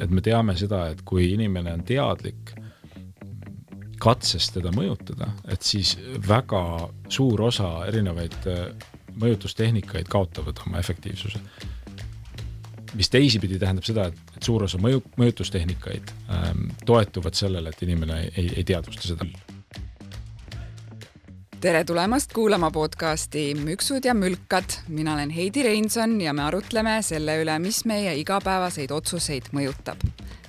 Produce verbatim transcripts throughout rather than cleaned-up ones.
et me teame seda, et kui inimene on teadlik katsest teda mõjutada, et siis väga suur osa erinevaid mõjutustehnikaid kaotavad oma efektiivsuse. Mis teisipidi tähendab seda, et suur osa mõju, mõjutustehnikaid ähm, toetuvad sellele, et inimene ei, ei teadvusta seda. Tere tulemast kuulama podcasti Müksud ja mülkad. Mina olen Heidi Reinson ja me arutleme selle üle, mis meie igapäevaseid otsuseid mõjutab.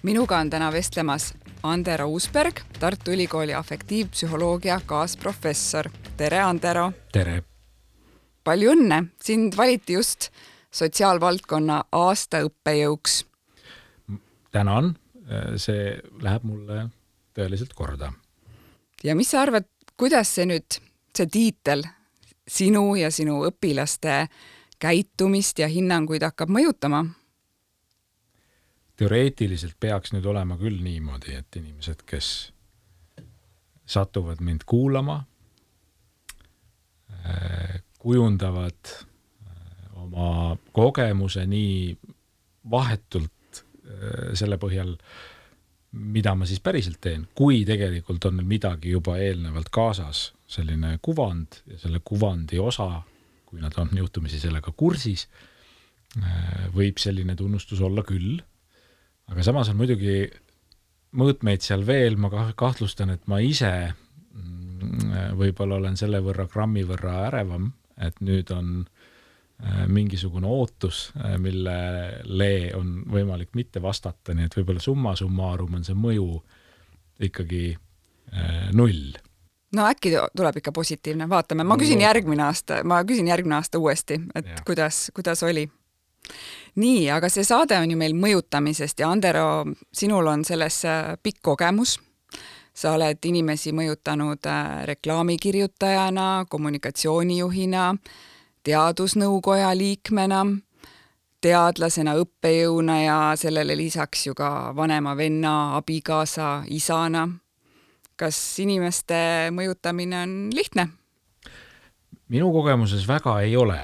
Minuga on täna vestlemas Andero Uusberg, Tartu Ülikooli afektiivpsühholoogia kaasprofessor. Tere, Andero! Tere! Palju õnne! Sind valiti just sotsiaalvaldkonna aastaõppejõuks. Tänan, see läheb mulle tõeliselt korda. Ja mis sa arvad, kuidas see nüüd, see tiitel sinu ja sinu õpilaste käitumist ja hinnanguid hakkab mõjutama? Teoreetiliselt peaks nüüd olema küll niimoodi, et inimesed, kes satuvad mind kuulama, kujundavad oma kogemuse nii vahetult selle põhjal, mida ma siis päriselt teen, kui tegelikult on midagi juba eelnevalt kaasas, selline kuvand ja selle kuvandi osa, kui nad on juhtumisi sellega kursis, võib selline tunnustus olla küll. Aga samas on muidugi mõõtmeid seal veel, ma kahtlustan, et ma ise võib-olla olen selle võrra grammi võrra ärevam, et nüüd on mingisugune ootus, millele on võimalik mitte vastata, nii et võib-olla summa summarum on see mõju ikkagi null. No äkki tuleb ikka positiivne, vaatame. Ma küsin järgmine aasta, ma küsin järgmine aasta uuesti, et ja. kuidas, kuidas oli. Nii, aga see saade on ju meil mõjutamisest ja Andero, sinul on selles pikk kogemus. Sa oled inimesi mõjutanud reklaamikirjutajana, kommunikatsioonijuhina, teadusnõukoja liikmena, teadlasena, õppejõuna ja sellele lisaks ju ka vanema venna, abikaasa, isana. Kas inimeste mõjutamine on lihtne? Minu kogemuses väga ei ole.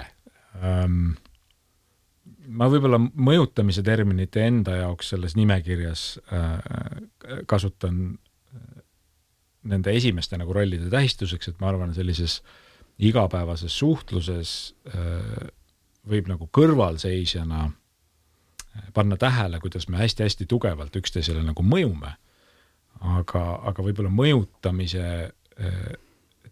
Ma võib-olla mõjutamise terminite enda jaoks selles nimekirjas kasutan nende esimeste nagu rollide tähistuseks, et ma arvan sellises igapäevases suhtluses võib nagu kõrvalseisjana panna tähele, kuidas me hästi-hästi tugevalt üksteisele nagu mõjume, aga, aga võib-olla mõjutamise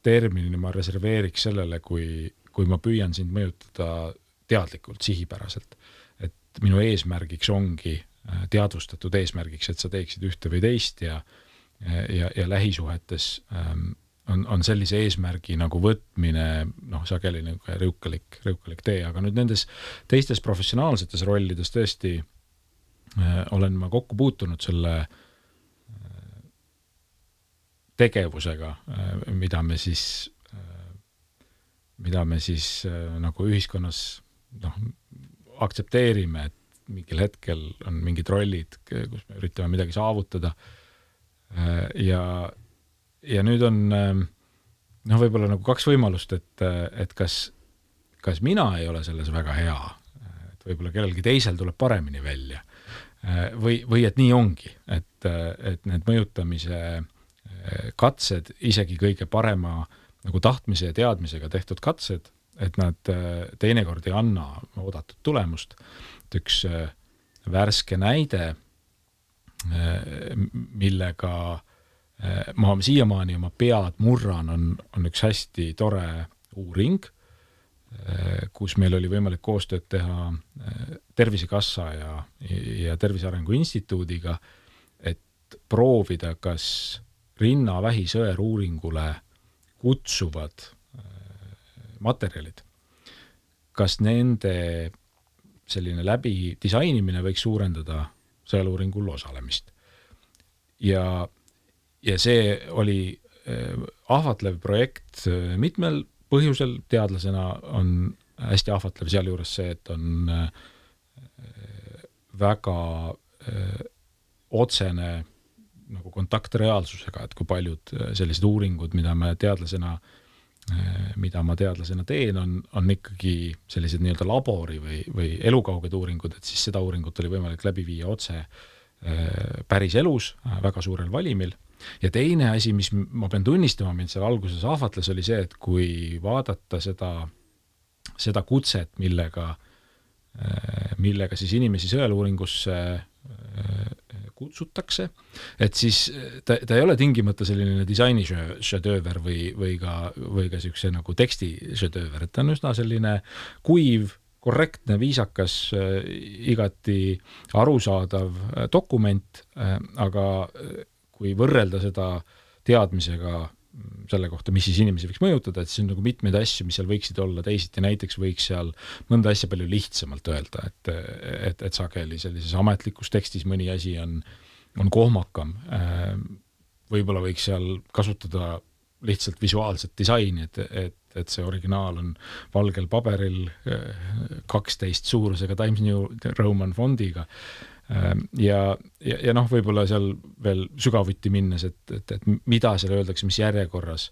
terminini ma reserveeriks sellele, kui, kui ma püüan sind mõjutada teadlikult, sihipäraselt. Et minu eesmärgiks ongi teadvustatud eesmärgiks, et sa teeksid ühte või teist ja, ja, ja lähisuhetes On, on sellise eesmärgi nagu võtmine, noh, sageli nagu rõukalik, rõukalik tee, aga nüüd nendes teistes professionaalsetes rollides tõesti äh, olen ma kokku puutunud selle äh, tegevusega, äh, mida me siis, äh, mida me siis äh, nagu ühiskonnas noh, aktsepteerime, et mingil hetkel on mingid rollid, kus me üritame midagi saavutada äh, ja Ja nüüd on noh, võib-olla nagu kaks võimalust, et, et kas, kas mina ei ole selles väga hea, et võib-olla kellelgi teisel tuleb paremini välja või, või et nii ongi, et, et need mõjutamise katsed, isegi kõige parema nagu tahtmise ja teadmisega tehtud katsed, et nad teinekord ei anna oodatud tulemust. Et üks värske näide, millega ma siiamaani oma pead murran, on, on üks hästi tore uuring, kus meil oli võimalik koostööd teha Tervisekassa ja, ja Tervise Arengu Instituudiga, et proovida, kas rinnavähi sõeruuringule kutsuvad materjalid, kas nende selline läbi disainimine võiks suurendada sõeluuringul osalemist. Ja Ja see oli ahvatlev projekt mitmel põhjusel. Teadlasena on hästi ahvatlev seal juures see, et on väga otsene nagu kontakt reaalsusega, et kui paljud sellised uuringud, mida me teadlasena, mida ma teadlasena teen, on, on ikkagi sellised nii-öelda labori või, või elukauged uuringud, et siis seda uuringut oli võimalik läbi viia otse päris elus väga suurel valimil. Ja teine asi, mis ma pean tunnistama, mind seal alguses ahvatles, oli see, et kui vaadata seda, seda kutset, millega, millega siis inimesi sõeluuringusse kutsutakse, et siis ta, ta ei ole tingimata selline disaini šedööver või, või ka, või ka siukse nagu teksti šedööver, et ta on üsna selline kuiv, korrektne, viisakas, igati arusaadav dokument, aga kui võrrelda seda teadmisega selle kohta, mis siis inimesi võiks mõjutada, et siis on nagu mitmeid asju, mis seal võiksid olla teisiti, näiteks võiks seal mõnda asja palju lihtsamalt öelda, et, et, et sageli sellises ametlikus tekstis mõni asi on, on kohmakam. Võib-olla võiks seal kasutada lihtsalt visuaalset disaini, et, et, et see originaal on valgel paberil kaksteist suurusega Times New Roman fondiga. Ja, ja, ja noh, võib-olla seal veel sügavuti minnes, et, et, et mida seal öeldakse, mis järjekorras,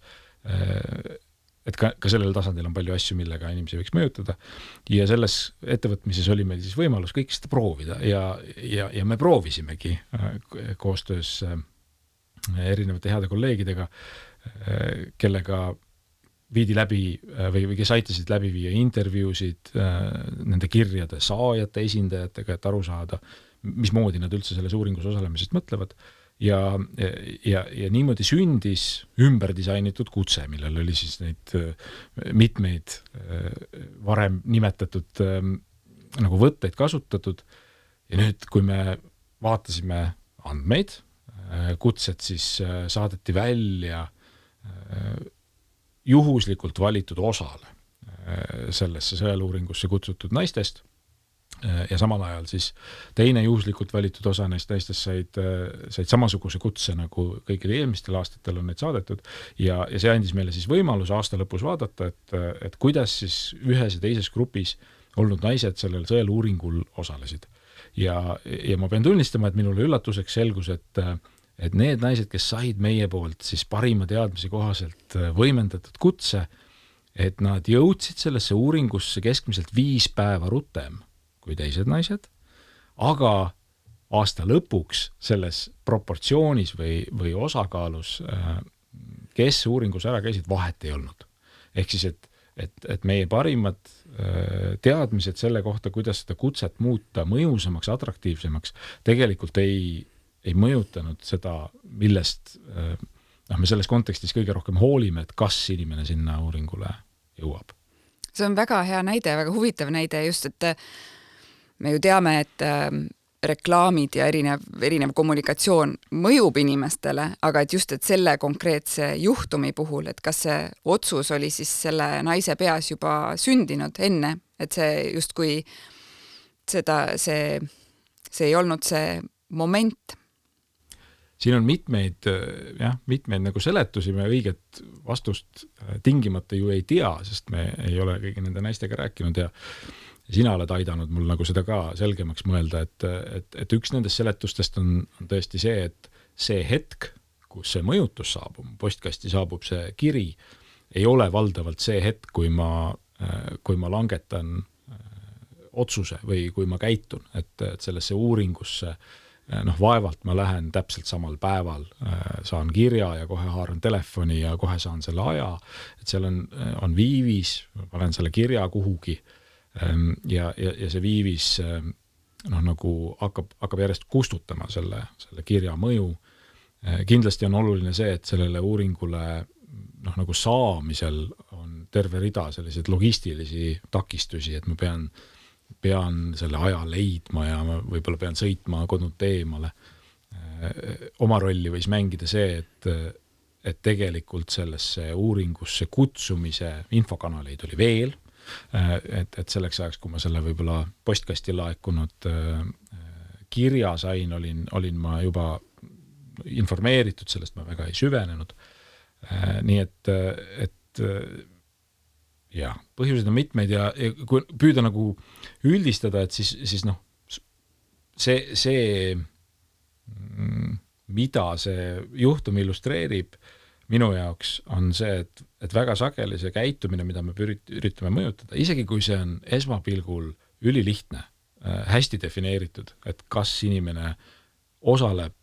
et ka, ka sellel tasandil on palju asju, millega inimesi võiks mõjutada. Ja selles ettevõtmises oli meil siis võimalus kõik seda proovida ja, ja, ja me proovisimegi koostöös erinevate heade kolleegidega, kellega viidi läbi või, või kes aitasid läbi viia intervjuusid nende kirjade saajate esindajatega, et aru saada, mismoodi nad üldse selles uuringus osalemisest mõtlevad. Ja, ja, ja niimoodi sündis ümber disainitud kutse, millel oli siis neid mitmeid varem nimetatud nagu võtteid kasutatud. Ja nüüd, kui me vaatasime andmeid, kutset siis saadeti välja juhuslikult valitud osale sellesse sõeluuringusse kutsutud naistest ja samal ajal siis teine juhuslikult valitud osa neist naistest said, said samasuguse kutse, nagu kõigil eelmistel aastatel on neid saadetud ja, ja see andis meile siis võimalus aasta lõpus vaadata, et, et kuidas siis ühes ja teises grupis olnud naised sellel sõeluuringul osalesid. Ja, ja ma pean tunnistama, et minule üllatuseks selgus, et et need naised, kes said meie poolt siis parima teadmise kohaselt võimendatud kutse, et nad jõudsid sellesse uuringusse keskmiselt viis päeva rutem kui teised naised, aga aasta lõpuks selles proportsioonis või, või osakaalus, kes uuringus ära käisid, vahet ei olnud. Ehk siis, et, et, et meie parimad teadmised selle kohta, kuidas seda kutset muuta mõjusamaks, atraktiivsemaks, tegelikult ei ei mõjutanud seda, millest noh, me selles kontekstis kõige rohkem hoolime, et kas inimene sinna uuringule jõuab. See on väga hea näide, väga huvitav näide just, et me ju teame, et reklaamid ja erinev, erinev kommunikatsioon mõjub inimestele, aga et just, et selle konkreetse juhtumi puhul, et kas see otsus oli siis selle naise peas juba sündinud enne, et see justkui seda, see, see ei olnud see moment. Siin on mitmeid, jah, mitmeid nagu seletusi, me õiget vastust tingimata ju ei tea, sest me ei ole kõigi nende naistega rääkinud ja sina oled aidanud mul nagu seda ka selgemaks mõelda, et, et, et üks nendest seletustest on, on tõesti see, et see hetk, kus see mõjutus saabub, postkasti saabub see kiri, ei ole valdavalt see hetk, kui ma, kui ma langetan otsuse või kui ma käitun, et, et sellesse uuringusse noh, vaevalt ma lähen täpselt samal päeval, saan kirja ja kohe haaran telefoni ja kohe saan selle aja, et seal on, on viivis, ma panen selle kirja kuhugi ja, ja, ja see viivis noh, nagu hakkab, hakkab järjest kustutama selle, selle kirja mõju. Kindlasti on oluline see, et sellele uuringule noh, nagu saamisel on terve rida selliseid logistilisi takistusi, et ma pean pean selle aja leidma ja ma võib-olla pean sõitma kodult eemale. Oma rolli võis mängida see, et, et tegelikult sellesse uuringusse kutsumise infokanaleid oli veel, et, et selleks ajaks, kui ma selle võib-olla postkasti laekunud kirja sain, olin, olin ma juba informeeritud, sellest ma väga ei süvenenud. Nii et, et ja, põhjused on mitmeid ja, ja kui püüda nagu üldistada, et siis, siis noh, see, see, mida see juhtum illustreerib minu jaoks, on see, et, et väga sageli see käitumine, mida me üritame mõjutada, isegi kui see on esmapilgul ülilihtne, hästi defineeritud, et kas inimene osaleb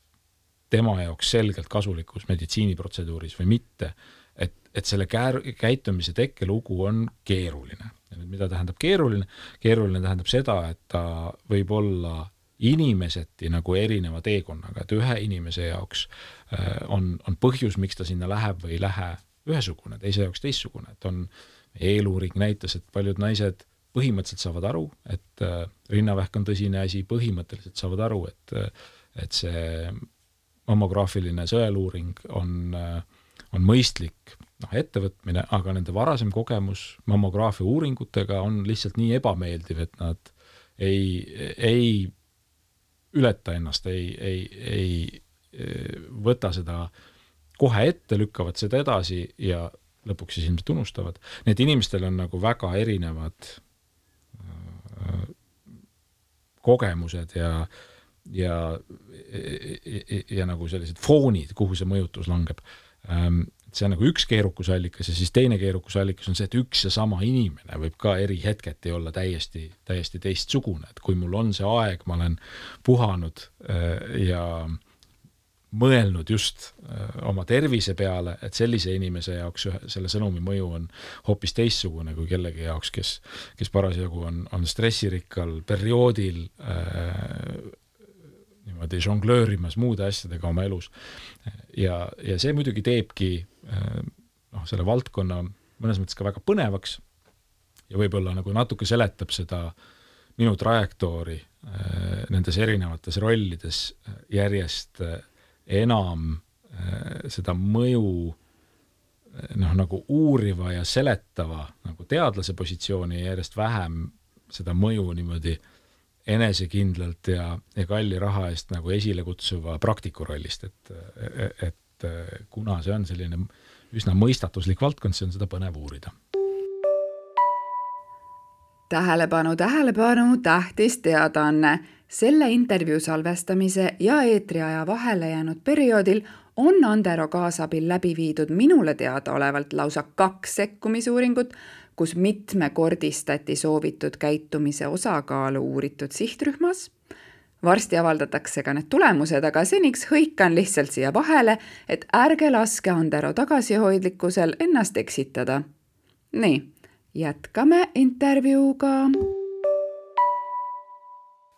tema jaoks selgelt kasulikus meditsiiniprotseduuris või mitte, et, et selle käär, käitumise tekkelugu on keeruline. Ja nüüd, mida tähendab keeruline? Keeruline tähendab seda, et ta võib olla inimeseti nagu erineva teekonnaga, et ühe inimese jaoks on, on põhjus, miks ta sinna läheb või ei lähe ühesugune, teise jaoks teissugune, et on eeluuring näitas, et paljud naised põhimõtteliselt saavad aru, et rinnavähk on tõsine asi, põhimõtteliselt saavad aru, et, et see mammograafiline sõeluuring on, on mõistlik noh, ettevõtmine, aga nende varasem kogemus mammograafia uuringutega on lihtsalt nii ebameeldiv, et nad ei, ei ületa ennast, ei, ei, ei võta seda kohe ette, lükkavad seda edasi ja lõpuks siis ilmselt unustavad. Need inimestel on nagu väga erinevad äh, kogemused ja, ja, ja, ja nagu sellised foonid, kuhu see mõjutus langeb. Ähm, see on nagu üks keerukusallikas ja siis teine keerukusallikas on see, et üks ja sama inimene võib ka eri hetketi olla täiesti, täiesti teistsugune. Et kui mul on see aeg, ma olen puhanud äh, ja mõelnud just oma tervise peale, et sellise inimese jaoks selle sõnumi mõju on hoopis teistsugune kui kellegi jaoks, kes, kes parasjagu on, on stressirikkal perioodil äh, niimoodi žonglöörimas muude asjadega oma elus. Ja, ja see muidugi teebki äh, noh, selle valdkonna mõnes mõttes ka väga põnevaks ja võib-olla nagu natuke seletab seda minu trajektoori äh, nendes erinevates rollides järjest äh, enam äh, seda mõju noh, nagu uuriva ja seletava nagu teadlase positsiooni ja järjest vähem seda mõju niimoodi enesekindlalt ja, ja kalli raha eest nagu esile kutsuva praktiku rollist, et, et kuna see on selline üsna mõistatuslik valdkond, see on seda põnev uurida. Tähelepanu, tähelepanu, tähtis teadaanne. Selle intervjuu salvestamise ja eetriaja vahele jäänud perioodil on Andero kaasabil läbi viidud minule teada olevalt lausa kaks sekkumisuuringut, kus mitmekordistati soovitud käitumise osakaalu uuritud sihtrühmas. Varsti avaldatakse ka need tulemused, aga seniks hõikan lihtsalt siia vahele, et ärge laske Andero tagasihoidlikkusel ennast eksitada. Nii, jätkame intervjuuga.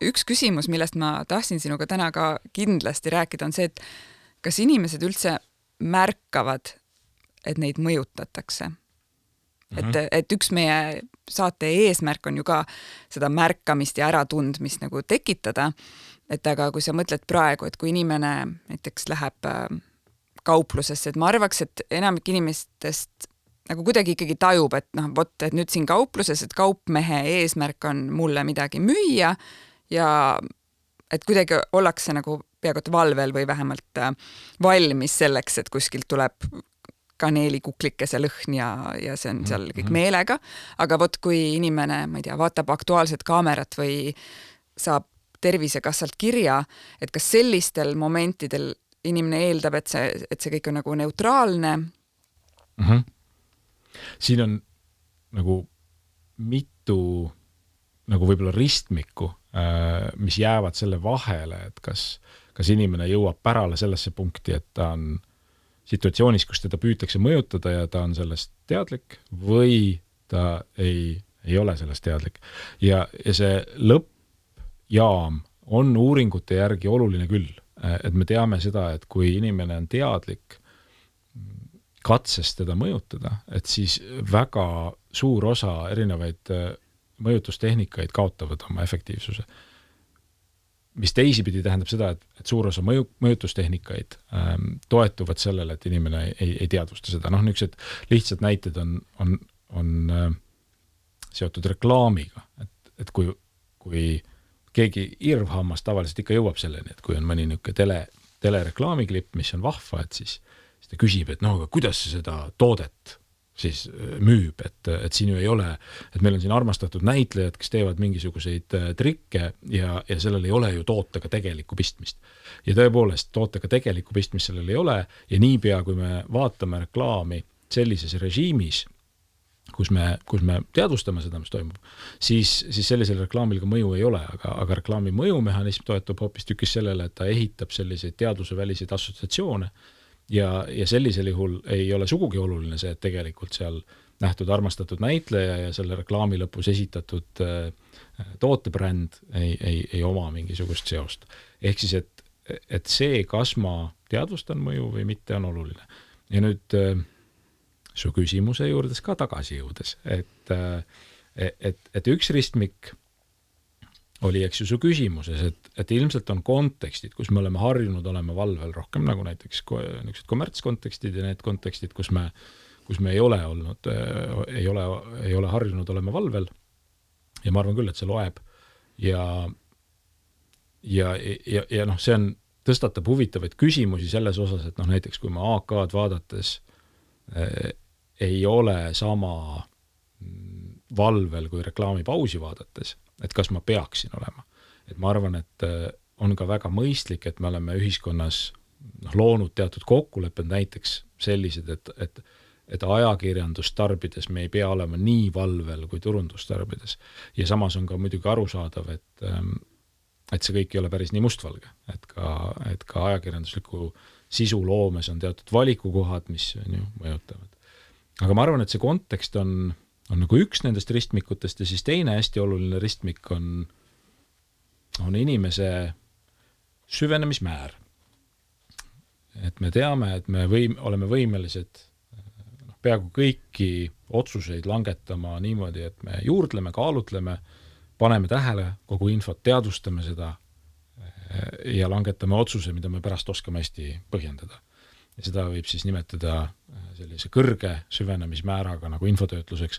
Üks küsimus, millest ma tahtsin sinuga täna ka kindlasti rääkida, on see, et kas inimesed üldse märkavad, et neid mõjutatakse? Mm-hmm. Et, et üks meie saate eesmärk on ju ka seda märkamist ja äratundmist nagu tekitada, et aga kui sa mõtled praegu, et kui inimene näiteks läheb kauplusesse, et ma arvaks, et enamik inimestest nagu kuidagi ikkagi tajub, et noh, vot, et nüüd siin kaupluses, et kaupmehe eesmärk on mulle midagi müüa ja et kuidagi ollakse nagu peaaegu valvel või vähemalt valmis selleks, et kuskilt tuleb kaneelikuklikese lõhn ja, ja see on seal kõik meelega. Aga vot kui inimene, ma ei tea, vaatab Aktuaalset kaamerat või saab Tervisekassalt kirja, et kas sellistel momentidel inimene eeldab, et see, et see kõik on nagu neutraalne? Mm-hmm. Siin on nagu mitu nagu võib-olla ristmikku, mis jäävad selle vahele, et kas, kas inimene jõuab pärale sellesse punkti, et ta on situatsioonis, kus teda püütakse mõjutada ja ta on sellest teadlik või ta ei, ei ole sellest teadlik. Ja, ja see lõppjaam on uuringute järgi oluline küll, et me teame seda, et kui inimene on teadlik katsest teda mõjutada, et siis väga suur osa erinevaid mõjutustehnikaid kaotavad oma efektiivsuse. Mis teisipidi tähendab seda, et, et suur osa mõju, mõjutustehnikaid ähm, toetuvad sellele, et inimene ei, ei teadvusta seda. Noh, niisugused lihtsad näited on, on, on äh, seotud reklaamiga. Et, et kui, kui keegi irvhammas tavaliselt ikka jõuab selleni, et kui on mõni niisugune tele, telereklaamiklipp, mis on vahva, et siis, siis ta küsib, et no, aga kuidas see seda toodet siis müüb, et, et siin ju ei ole, et meil on siin armastatud näitlejad, kes teevad mingisuguseid trikke ja, ja sellel ei ole ju tootega tegelikku pistmist. Ja tõepoolest, tootega tegelikku pistmist sellel ei ole ja niipea, kui me vaatame reklaami sellises režiimis, kus me, kus me teadvustame seda, mis toimub, siis, siis sellisel reklaamil ka mõju ei ole, aga, aga reklaami mõjumehhanism toetub hoopis tükis sellele, et ta ehitab selliseid teaduse väliseid assotsiatsioone ja, ja sellisel juhul ei ole sugugi oluline see, et tegelikult seal nähtud armastatud näitleja ja selle reklaami lõpus esitatud äh, tootebränd ei, ei, ei oma mingisugust seost. Ehk siis, et, et see, kas ma teadvustan mõju või mitte, on oluline. Ja nüüd äh, su küsimuse juurdes ka tagasi jõudes, et, et, et üks ristmik oli, eks ju, su küsimuses, et, et ilmselt on kontekstid, kus me oleme harjunud olema valvel rohkem, nagu näiteks niisugused kommertskontekstid ja need kontekstid, kus me, kus me ei ole olnud, ei ole, ei ole harjunud olema valvel. Ja ma arvan küll, et see loeb. Ja, ja, ja, ja noh, see on, tõstatab huvitavaid küsimusi selles osas, et noh, näiteks kui ma A K-d vaadates ei ole sama valvel kui reklaamipausi vaadates, et kas ma peaksin olema. Et ma arvan, et on ka väga mõistlik, et me oleme ühiskonnas noh, loonud teatud kokkulepped näiteks sellised, et, et, et ajakirjandust tarbides me ei pea olema nii valvel kui turundust tarbides. Ja samas on ka muidugi arusaadav, et, et see kõik ei ole päris nii mustvalge, et ka, et ka ajakirjandusliku sisu loomes on teatud valikukohad, mis on ju mõjutavad. Aga ma arvan, et see kontekst on, on nagu üks nendest ristmikutest ja siis teine hästi oluline ristmik on, on inimese süvenemismäär. Et me teame, et me võim, oleme võimelised noh, peaaegu kõiki otsuseid langetama niimoodi, et me juurdleme, kaalutleme, paneme tähele kogu infot, teadvustame seda ja langetame otsuse, mida me pärast oskame hästi põhjendada. Ja seda võib siis nimetada sellise kõrge süvenemismääraga nagu infotöötluseks.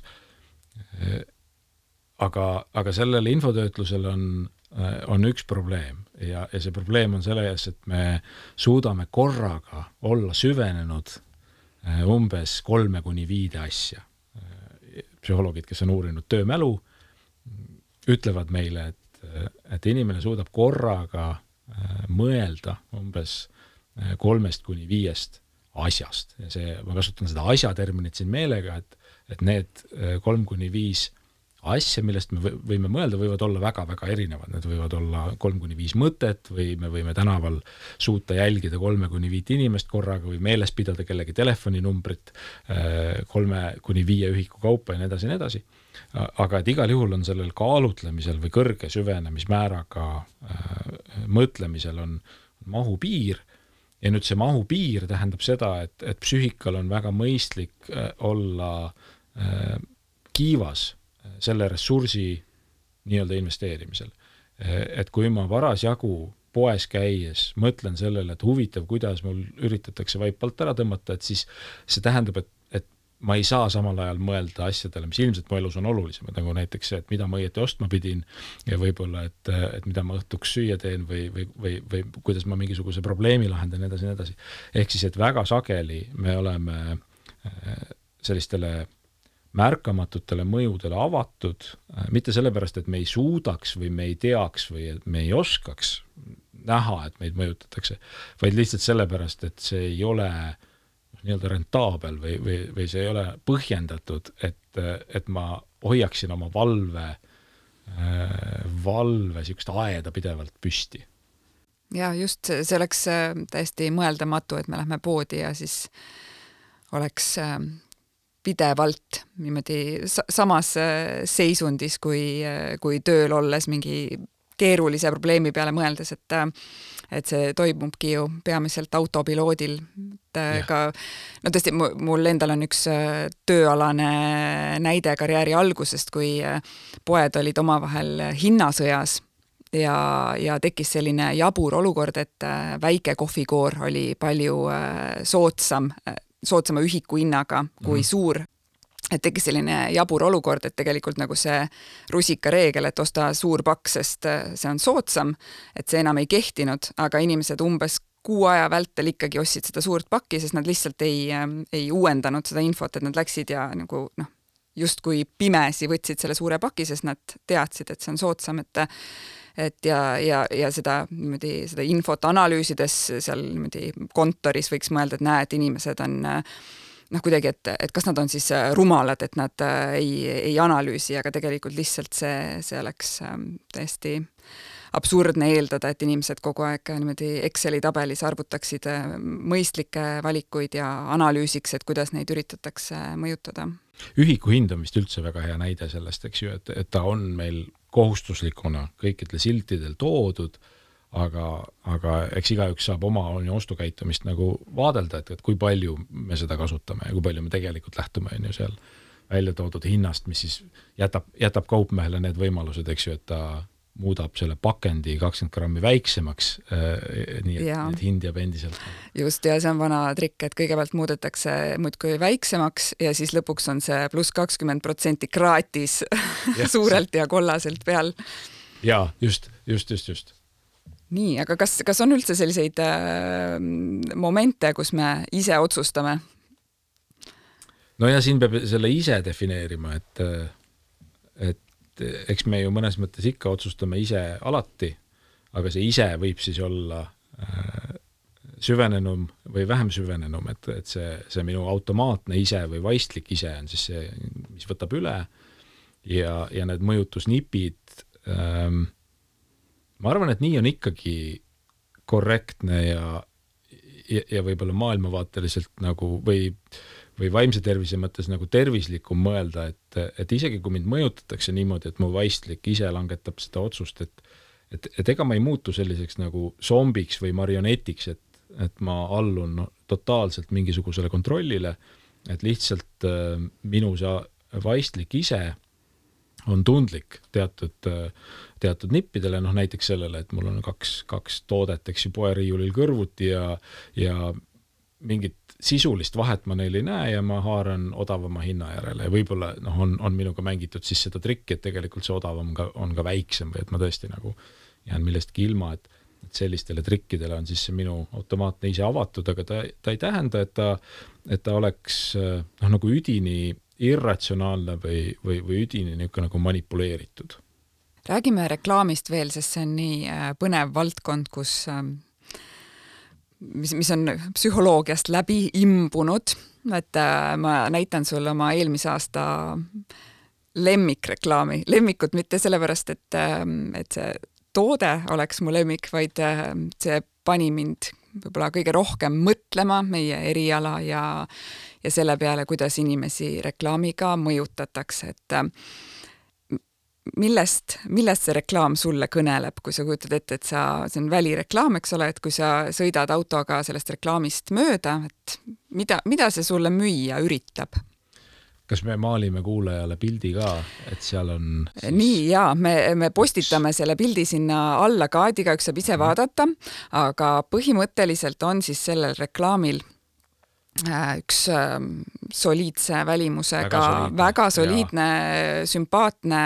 Aga, aga sellele infotöötlusel on, on üks probleem ja, ja see probleem on selles, et me suudame korraga olla süvenenud umbes kolme kuni viide asja. Psühholoogid, kes on uurinud töömälu, ütlevad meile, et, et inimene suudab korraga mõelda umbes kolmest kuni viiest asjast. Ja see, ma kasutan seda asja terminit siin meelega, et, et need kolm kuni viis asja, millest me võime mõelda, võivad olla väga-väga erinevad. Need võivad olla kolm kuni viis mõtet või me võime tänaval suuta jälgida kolme kuni viit inimest korraga või meeles pidada kellegi telefoninumbrit kolme kuni viie ühiku kaupa ja nii edasi ja nii edasi. Aga et igal juhul on sellel kaalutlemisel või kõrge süvenemismääraga mõtlemisel on mahupiir. Ja nüüd see mahupiir tähendab seda, et, et psüühikal on väga mõistlik olla kiivas selle ressursi nii-öelda investeerimisel. Et kui ma varasjagu poes käies mõtlen sellele, et huvitav, kuidas mul üritatakse vaip alt ära tõmmata, et siis see tähendab, et, et ma ei saa samal ajal mõelda asjadele, mis ilmselt mu elus on olulisemad, nagu näiteks see, et mida ma õieti ostma pidin ja võib-olla, et, et mida ma õhtuks süüa teen või, või, või, või kuidas ma mingisuguse probleemi lahendan ja edasi ja edasi. Ehk siis, et väga sageli me oleme sellistele märkamatutele mõjudele avatud, mitte sellepärast, et me ei suudaks või me ei teaks või me ei oskaks näha, et meid mõjutatakse, vaid lihtsalt sellepärast, et see ei ole nii-öelda rentaabel või, või, või see ei ole põhjendatud, et, et ma hoiaksin oma valve, valve siukest aeda pidevalt püsti. Ja just see oleks täiesti mõeldamatu, et me lähme poodi ja siis oleks pidevalt niimoodi samas seisundis kui, kui tööl olles mingi keerulise probleemi peale mõeldes, et, et see toimubki ju peamiselt autopiloodil. Et ka, no tõesti, mul endal on üks tööalane näide karjääri algusest, kui poed olid omavahel hinnasõjas ja, ja tekkis selline jabur olukord, et väike kohvikoor oli palju soodsam soodsama ühiku hinnaga kui mm. suur. Et tekkis selline jabur olukord, et tegelikult nagu see rusika reegel, et osta suur pakk, sest see on soodsam, et see enam ei kehtinud, aga inimesed umbes kuu aja vältel ikkagi ostsid seda suurt pakki, sest nad lihtsalt ei, ei uuendanud seda infot, et nad läksid ja nagu noh, justkui pimesi võtsid selle suure paki, sest nad teadsid, et see on soodsam, et et ja, ja, ja seda, niimoodi, seda infot analüüsides seal niimoodi kontoris võiks mõelda, et näe, et inimesed on noh, kuidagi, et, et kas nad on siis rumalad, et nad ei, ei analüüsi, aga tegelikult lihtsalt see, see oleks täiesti absurdne eeldada, et inimesed kogu aeg niimoodi Exceli tabelis arvutaksid mõistlikke valikuid ja analüüsiks, et kuidas neid üritatakse mõjutada. Ühiku hind on vist üldse väga hea näide sellest, eks ju, et, et ta on meil kohustuslikuna kõikidel siltidel toodud, aga, aga eks igaüks saab oma ostukäitumist nagu vaadelda, et, et kui palju me seda kasutame ja kui palju me tegelikult lähtume on ju seal välja toodud hinnast, mis siis jätab, jätab kaupmehele need võimalused, eks ju, et ta muudab selle pakendi kakskümmend grammi väiksemaks, nii et, et hind jääb endiselt. Just, ja see on vana trikk, et kõigepealt muudetakse muudkui väiksemaks ja siis lõpuks on see pluss kakskümmend protsenti kraatis suurelt ja kollaselt peal. Ja, just, just, just, just. Nii, aga kas, kas on üldse selliseid äh, momente, kus me ise otsustame? No ja siin peab selle ise defineerima, et, et eks me ju mõnes mõttes ikka otsustame ise alati, aga see ise võib siis olla äh, süvenenum või vähem süvenenum, et, et see, see minu automaatne ise või vaistlik ise on siis see, mis võtab üle ja, ja need mõjutusnipid ähm, ma arvan, et nii on ikkagi korrektne ja, ja, ja võib-olla maailmavaateliselt nagu või või vaimse tervise mõttes nagu tervislikum mõelda, et, et isegi kui mind mõjutatakse niimoodi, et mu vaistlik ise langetab seda otsust, et, et, et ega ma ei muutu selliseks nagu zombiks või marionetiks, et, et ma allun no, totaalselt mingisugusele kontrollile, et lihtsalt äh, minu see vaistlik ise on tundlik teatud, teatud nippidele, noh näiteks sellele, et mul on kaks, kaks toodet, eks ju, poeriiulil kõrvuti ja, ja mingit sisulist vahet ma neil ei näe ja ma haaran odavama hinna järele ja võib-olla noh, on, on minuga mängitud siis seda trikki, et tegelikult see odavam ka, on ka väiksem või et ma tõesti nagu jään millestki ilma, et, et sellistele trikkidele on siis see minu automaatne ise avatud, aga ta, ta ei tähenda, et ta, et ta oleks noh, nagu üdini irratsionaalne või, või, või üdini niisugune nagu manipuleeritud. Räägime reklaamist veel, sest see on nii põnev valdkond, kus mis, mis on psühholoogiast läbi imbunud, et ma näitan sulle oma eelmise aasta lemmikreklaami. Lemmikut mitte sellepärast, et, et see toode oleks mu lemmik, vaid see pani mind võib-olla kõige rohkem mõtlema meie eriala ja, ja selle peale, kuidas inimesi reklaamiga mõjutatakse, et millest, millest see reklaam sulle kõneleb, kui sa kujutad ette, et sa, see on välireklaam, eks ole, et kui sa sõidad autoga sellest reklaamist mööda, et mida, mida see sulle müüa üritab? Kas me maalime kuulajale pildi ka, et seal on siis... Nii, jaa, me, me postitame selle pildi sinna alla ka, et igaüks saab ise vaadata, aga põhimõtteliselt on siis sellel reklaamil üks soliidse välimusega, väga soliidne, väga soliidne sümpaatne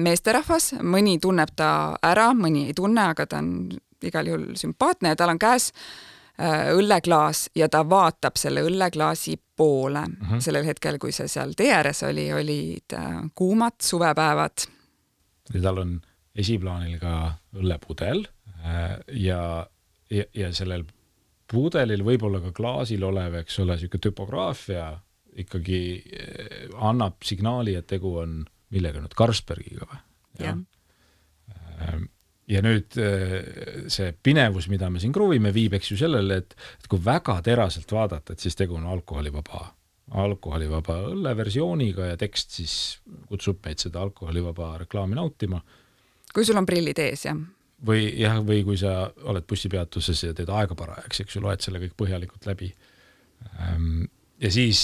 meesterahvas, mõni tunneb ta ära, mõni ei tunne, aga ta on igal juhul sümpaatne ja tal on käes õlleklaas ja ta vaatab selle õlleklaasi poole. Uh-huh. Sellel hetkel, kui see seal tee ääres oli, olid kuumad suvepäevad. Ja tal on esiplaanil ka õllepudel ja, ja, ja sellel pudelil võib-olla ka klaasil olev, eks ole, siuke typograafia ikkagi annab signaali, et tegu on millega nüüd Carlsbergiga või? Ja. ja nüüd see pinevus, mida me siin kruvime, viib eks ju sellele, et, et kui väga teraselt vaadata, et siis tegu on alkoholivaba, alkoholivaba õlleversiooniga ja tekst siis kutsub meid seda alkoholivaba reklaami nautima. Kui sul on prillid ees, jah? Või, jah, või kui sa oled bussipeatuses ja teed aega parajaks, eks ju, loed selle kõik põhjalikult läbi. Ja siis,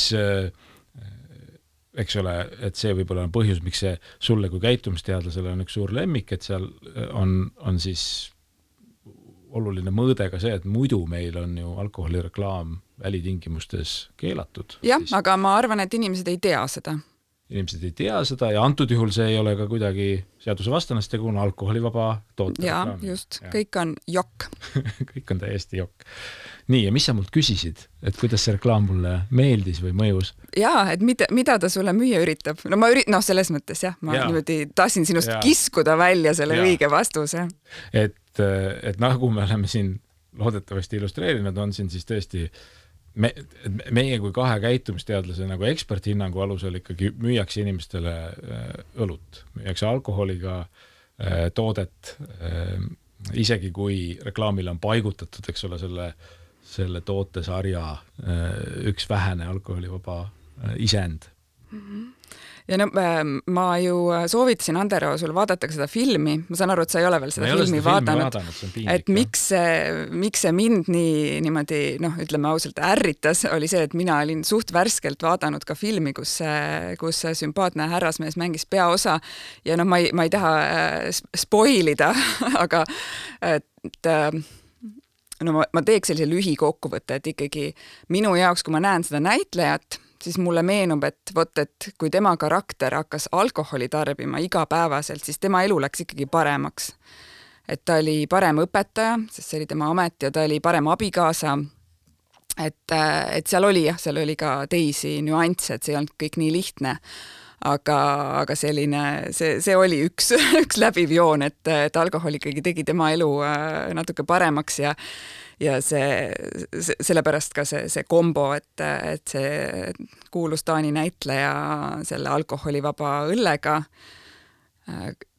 eks ole, et see võib-olla on põhjus, miks see sulle kui käitumisteadlasele on üks suur lemmik, et seal on, on siis oluline mõõde ka see, et muidu meil on ju alkoholireklaam välitingimustes keelatud. Jah, siis... aga ma arvan, et inimesed ei tea seda. Inimesed ei tea seda ja antud juhul see ei ole ka kuidagi seaduse vastanast, tegu on alkoholivaba toote. Jaa, just. Ja. Kõik on jokk. Kõik on täiesti jokk. Nii, ja mis sa mult küsisid? Et kuidas see reklaam mulle meeldis või mõjus? Jaa, et mida, mida ta sulle müüa üritab? No ma ürit... no selles mõttes jah, ma ja. niimoodi tahtsin sinust ja. kiskuda välja selle ja. õige vastuse. Et, et nagu me oleme siin loodetavasti illustreerinud, on siin siis tõesti me, meie kui kahe käitumisteadlase nagu eksperthinnangu alusel ikkagi müüakse inimestele õlut, müüakse alkoholiga toodet, isegi kui reklaamile on paigutatud, eks ole, selle, selle tootesarja üks vähene alkoholivaba isend. Mm-hmm. Ja no, ma ju soovitasin, Andero, sul vaadata seda filmi. Ma saan aru, et sa ei ole veel seda ma filmi seda vaadanud. vaadanud piinlik, et miks see, miks see mind nii niimoodi, noh, ütleme ausalt, ärritas, oli see, et mina olin suht värskelt vaadanud ka filmi, kus see, kus see sümpaatne härrasmees mängis peaosa. Ja noh, ma ei, ma ei taha spoilida, aga et no ma, ma teeks sellise lühikokkuvõtte, et ikkagi minu jaoks, kui ma näen seda näitlejat, siis mulle meenub, et vot, et kui tema karakter hakkas alkoholi tarbima igapäevaselt, siis tema elu läks ikkagi paremaks. Et ta oli parem õpetaja, sest see oli tema amet, ja ta oli parem abikaasa. Et, et seal oli, jah, seal oli ka teisi nüansse, et see ei olnud kõik nii lihtne. Aga, aga selline, see, see oli üks, üks läbiv joon, et, et alkohol ikkagi tegi tema elu natuke paremaks ja ja see, see, sellepärast ka see, see kombo, et, et see kuulus Taani näitleja selle alkoholivaba õllega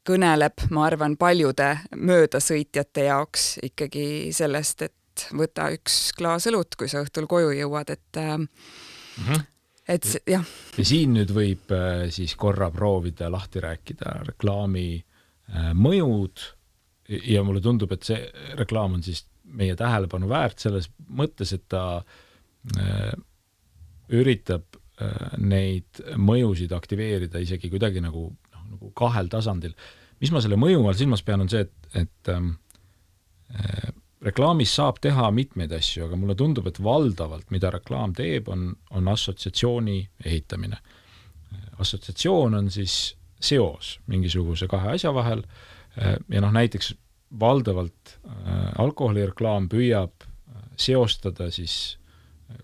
kõneleb, ma arvan, paljude möödasõitjate jaoks ikkagi sellest, et võta üks klaas õlut, kui sa õhtul koju jõuad, et mm-hmm. et jah. Ja siin nüüd võib siis korra proovida lahti rääkida reklaami mõjud ja mulle tundub, et see reklaam on siis meie tähelepanu väärt selles mõttes, et ta äh, üritab äh, neid mõjusid aktiveerida isegi kuidagi nagu, no, nagu kahel tasandil. Mis ma selle mõju all silmas pean on see, et, et äh, reklaamis saab teha mitmeid asju, aga mulle tundub, et valdavalt, mida reklaam teeb, on, on assotsiatsiooni ehitamine. Assotsiatsioon on siis seos mingisuguse kahe asja vahel äh, ja noh, näiteks valdavalt äh, alkoholireklaam püüab seostada siis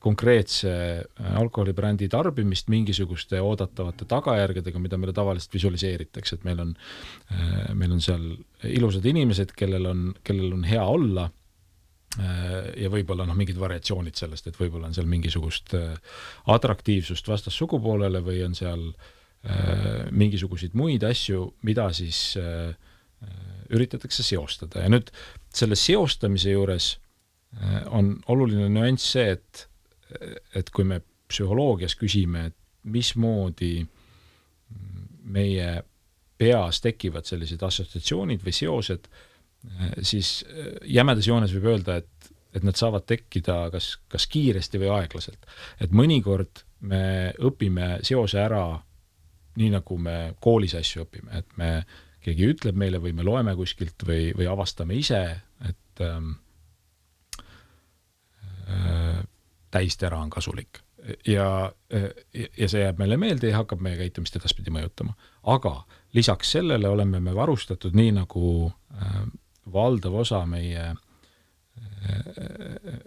konkreetse äh, alkoholibrändi tarbimist mingisuguste oodatavate tagajärgedega, mida meile tavaliselt visualiseeritakse, et meil on, äh, meil on seal ilusad inimesed, kellel on, kellel on hea olla äh, ja võib-olla noh, mingid variatsioonid sellest, et võib-olla on seal mingisugust äh, atraktiivsust vastas sugupoolele või on seal äh, mingisuguseid muid asju, mida siis äh, üritatakse seostada ja nüüd selle seostamise juures on oluline nüanss see, et, et kui me psühholoogias küsime, et mismoodi meie peas tekivad sellised assotsiatsioonid või seosed, siis jämedas joones võib öelda, et, et nad saavad tekkida kas, kas kiiresti või aeglaselt. Et mõnikord me õpime seose ära nii, nagu me koolis asju õpime, et me keegi ütleb meile või me loeme kuskilt või, või avastame ise, et ähm, äh, täistera on kasulik. Ja, ja see jääb meile meelde ja hakkab meie käitumist edaspidi mõjutama. Aga lisaks sellele oleme me varustatud nii, nagu äh, valdav osa meie, äh,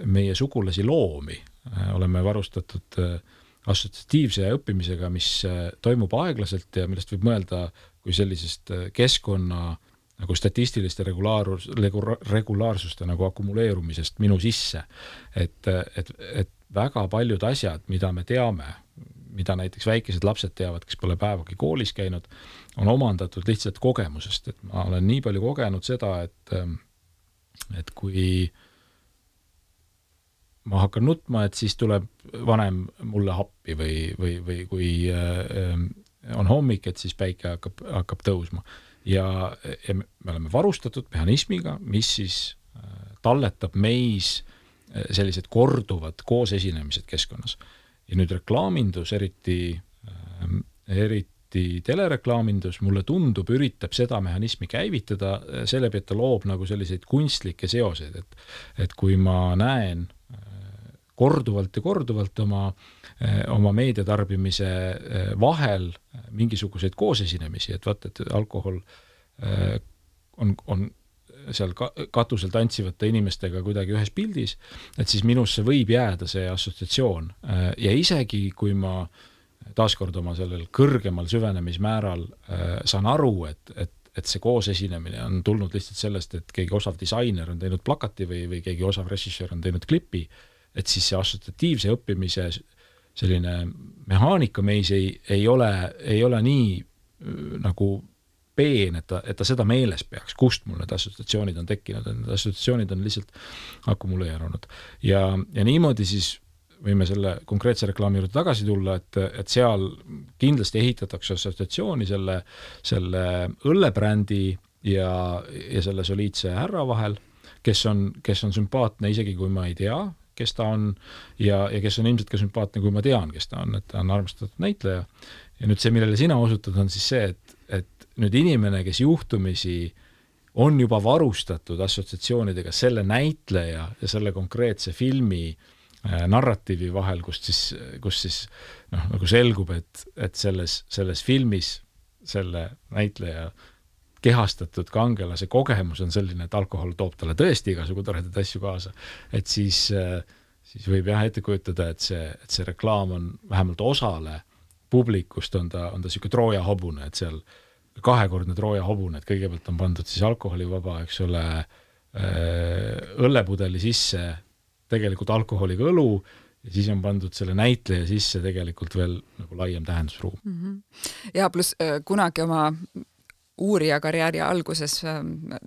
meie sugulasi loomi. Äh, oleme varustatud äh, assotsiatiivse õppimisega, mis äh, toimub aeglaselt ja millest võib mõelda kui sellisest keskkonna nagu statistiliste regulaarus, regulaarsuste nagu akumuleerumisest minu sisse. Et, et, et väga paljud asjad, mida me teame, mida näiteks väikesed lapsed teavad, kes pole päevagi koolis käinud, on omandatud lihtsalt kogemusest. Et ma olen nii palju kogenud seda, et, et kui ma hakkan nutma, et siis tuleb vanem mulle happi või, või, või kui äh, on hommik, et siis päike hakkab, hakkab tõusma. Ja, ja me oleme varustatud mehhanismiga, mis siis talletab meis sellised korduvad koos esinemised keskkonnas. Ja nüüd reklaamindus, eriti, eriti telereklaamindus, mulle tundub, üritab seda mehhanismi käivitada, selle pealt ta loob nagu selliseid kunstlikke seoseid, et, et kui ma näen korduvalt ja korduvalt oma, oma meediatarbimise vahel mingisuguseid koosesinemisi, et vaata, et alkohol on, on seal katusel tantsivate inimestega kuidagi ühes pildis, et siis minusse võib jääda see assotsiatsioon. Ja isegi kui ma taaskord oma sellel kõrgemal süvenemismääral saan aru, et, et, et see koosesinemine on tulnud lihtsalt sellest, et keegi osav disainer on teinud plakati või, või keegi osav režissöör on teinud klipi, et siis see assotsiatiivse õppimise selline mehaanika meis ei, ei, ole, ei ole nii nagu peen, et ta, et ta seda meeles peaks, kust mul need assotsiatsioonid on tekkinud, need assotsiatsioonid on lihtsalt akumuleerunud. Ja, ja niimoodi siis võime selle konkreetse reklaami juurde tagasi tulla, et, et seal kindlasti ehitatakse assotsiatsiooni selle, selle õllebrändi ja, ja selle soliidse härra vahel, kes on, kes on sümpaatne isegi kui ma ei tea, kes ta on ja, ja kes on ilmselt ka sümpaatne, kui ma tean, kes ta on, et ta on armastatud näitleja. Ja nüüd see, millele sina osutad, on siis see, et, et nüüd inimene, kes juhtumisi on juba varustatud assotsiatsioonidega selle näitleja ja selle konkreetse filmi äh, narratiivi vahel, kust siis, kus siis noh, nagu selgub, et, et selles, selles filmis selle näitleja kehastatud kangelase kogemus on selline, et alkohol toob talle tõesti igasugu toredaid asju kaasa. Et siis, siis võib jah ette kujutada, et see, et see reklaam on vähemalt osale publikust on ta, on ta siuke Trooja hobune, et seal kahekordne Trooja hobune, et kõigepealt on pandud siis alkoholivaba, eks ole, õllepudeli sisse tegelikult alkoholiga õlu ja siis on pandud selle näitleja sisse tegelikult veel nagu laiem tähendusruum. Mm-hmm. Ja plus kunagi oma uurija karjääri alguses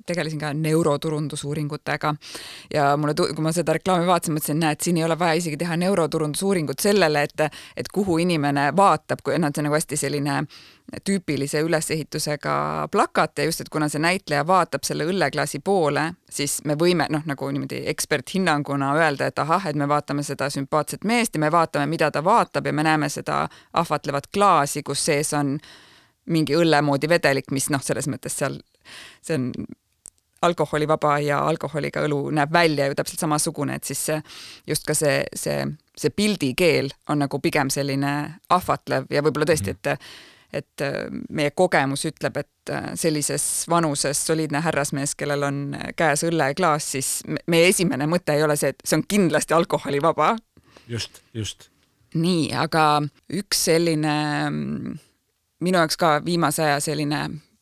tegelesin ka neuroturundusuuringutega ja mulle, kui ma seda reklaami vaatasin, mõtlesin, näed, siin ei ole vaja isegi teha neuroturundusuuringut sellele, et, et kuhu inimene vaatab, kui nad see nagu hästi selline tüüpilise ülesehitusega plakat ja just, et kuna see näitleja vaatab selle õlleklaasi poole, siis me võime noh, nagu niimoodi eksperthinnanguna öelda, et ahah, et me vaatame seda sümpaatset meest ja me vaatame, mida ta vaatab ja me näeme seda ahvatlevat klaasi, kus sees on mingi õllemoodi vedelik, mis noh, selles mõttes seal, see on alkoholivaba ja alkoholiga õlu näeb välja ju täpselt samasugune, et siis see, just ka see, see, see pildikeel on nagu pigem selline ahvatlev ja võib-olla tõesti, et, et meie kogemus ütleb, et sellises vanuses soliidne härrasmees, kellel on käes õlleklaas, siis meie esimene mõte ei ole see, et see on kindlasti alkoholivaba. Just, just. Nii, aga üks selline minu jaoks ka viimase aja selline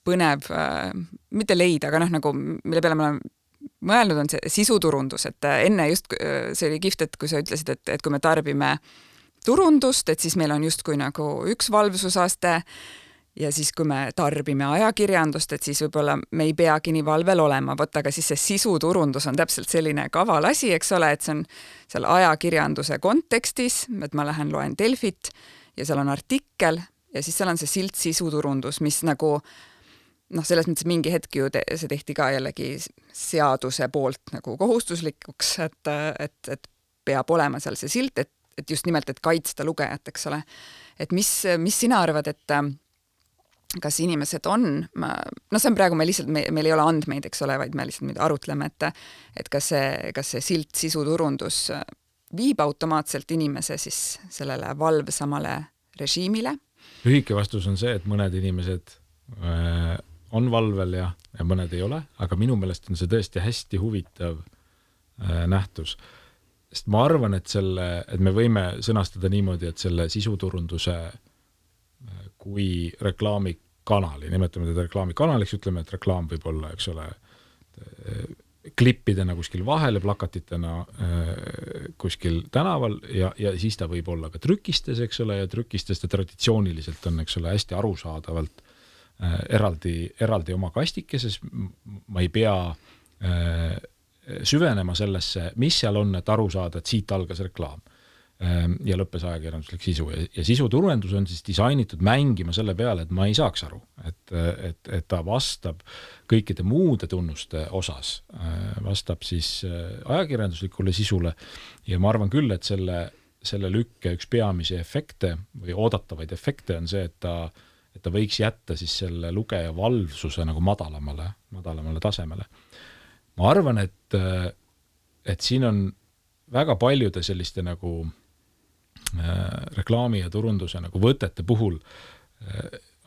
põnev, äh, mitte leida, aga noh, nagu mille peale ma olen mõelnud, on see sisuturundus, et enne just see oli kihvt, et kui sa ütlesid, et, et kui me tarbime turundust, et siis meil on justkui nagu üks valvsusaste ja siis kui me tarbime ajakirjandust, et siis võib-olla me ei peagi nii valvel olema, võtta, aga siis see sisuturundus on täpselt selline kaval asi, eks ole, et see on seal ajakirjanduse kontekstis, et ma lähen loen Delfit ja seal on artikkel ja siis seal on see silt sisuturundus, mis nagu noh, selles mõttes mingi hetk ju te, see tehti ka jällegi seaduse poolt nagu kohustuslikuks, et, et, et peab olema seal see silt, et, et just nimelt, et kaitsta lugejat, eks ole. Et mis, mis sina arvad, et kas inimesed on, ma, no see on praegu me lihtsalt, me, meil ei ole andmeid, eks ole, vaid me lihtsalt arutleme, et, et kas see, kas see silt sisuturundus viib automaatselt inimese siis sellele valvsamale režiimile? Lühike vastus on see, et mõned inimesed äh, on valvel ja, ja mõned ei ole, aga minu meelest on see tõesti hästi huvitav äh, nähtus. Sest ma arvan, et, selle, et me võime sõnastada niimoodi, et selle sisuturunduse äh, kui reklaamikanali, nimetame teda reklaamikanaliks, ütleme, et reklaam võib olla, eks ole, äh, klippidena kuskil vahele, plakatitena äh, kuskil tänaval ja, ja siis ta võib olla ka trükistes, eks ole, ja trükistes ta traditsiooniliselt on, eks ole, hästi arusaadavalt äh, eraldi, eraldi oma kastikeses. Ma ei pea äh, süvenema sellesse, mis seal on, et aru saada, et siit algas reklaam ja lõppes ajakirjanduslik sisu ja, ja sisuturundus on siis disainitud mängima selle peale, et ma ei saaks aru, et, et, et ta vastab kõikide muude tunnuste osas, vastab siis ajakirjanduslikule sisule ja ma arvan küll, et selle, selle lükke üks peamisi efekte või oodatavaid efekte on see, et ta, et ta võiks jätta siis selle lugeja valvsuse nagu madalamale, madalamale tasemele. Ma arvan, et, et siin on väga paljude selliste nagu reklaami ja turunduse nagu võtete puhul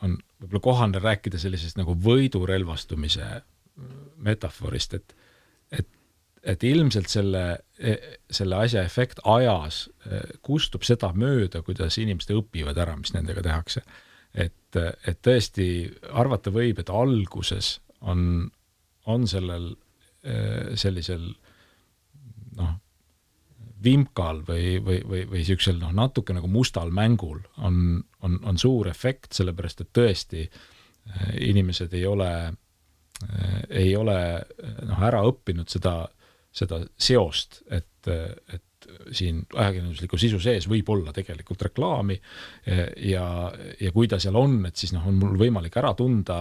on võib-olla kohane rääkida sellisest nagu võidurelvastumise metaforist, et, et, et ilmselt selle, selle asja efekt ajas kustub seda mööda, kuidas inimesed õpivad ära, mis nendega tehakse. Et, et tõesti arvata võib, et alguses on, on sellel sellisel noh, vimkal või, või, või, või siuksel noh, natuke nagu mustal mängul on, on, on suur efekt, sellepärast et tõesti inimesed ei ole, ei ole noh, ära õppinud seda, seda seost, et, et siin ajakirjandusliku sisu sees võib olla tegelikult reklaami ja, ja kui ta seal on, et siis noh, on mul võimalik ära tunda,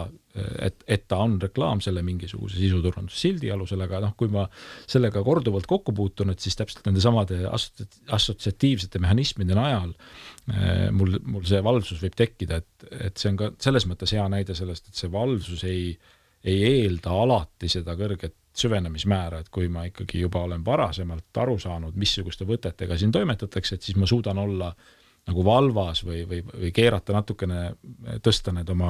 et, et ta on reklaam selle mingisuguse sisuturundussildi alusel, aga noh, kui ma sellega korduvalt kokku puutun, et siis täpselt nende samade assotsiatiivsete mehhanismide najal mul, mul see valvsus võib tekkida, et, et see on ka selles mõttes hea näide sellest, et see valvsus ei, ei eelda alati seda kõrget süvenemismäära, et kui ma ikkagi juba olen varasemalt aru saanud, missuguste võtetega siin toimetatakse, et siis ma suudan olla nagu valvas või, või, või keerata natukene, tõsta need oma,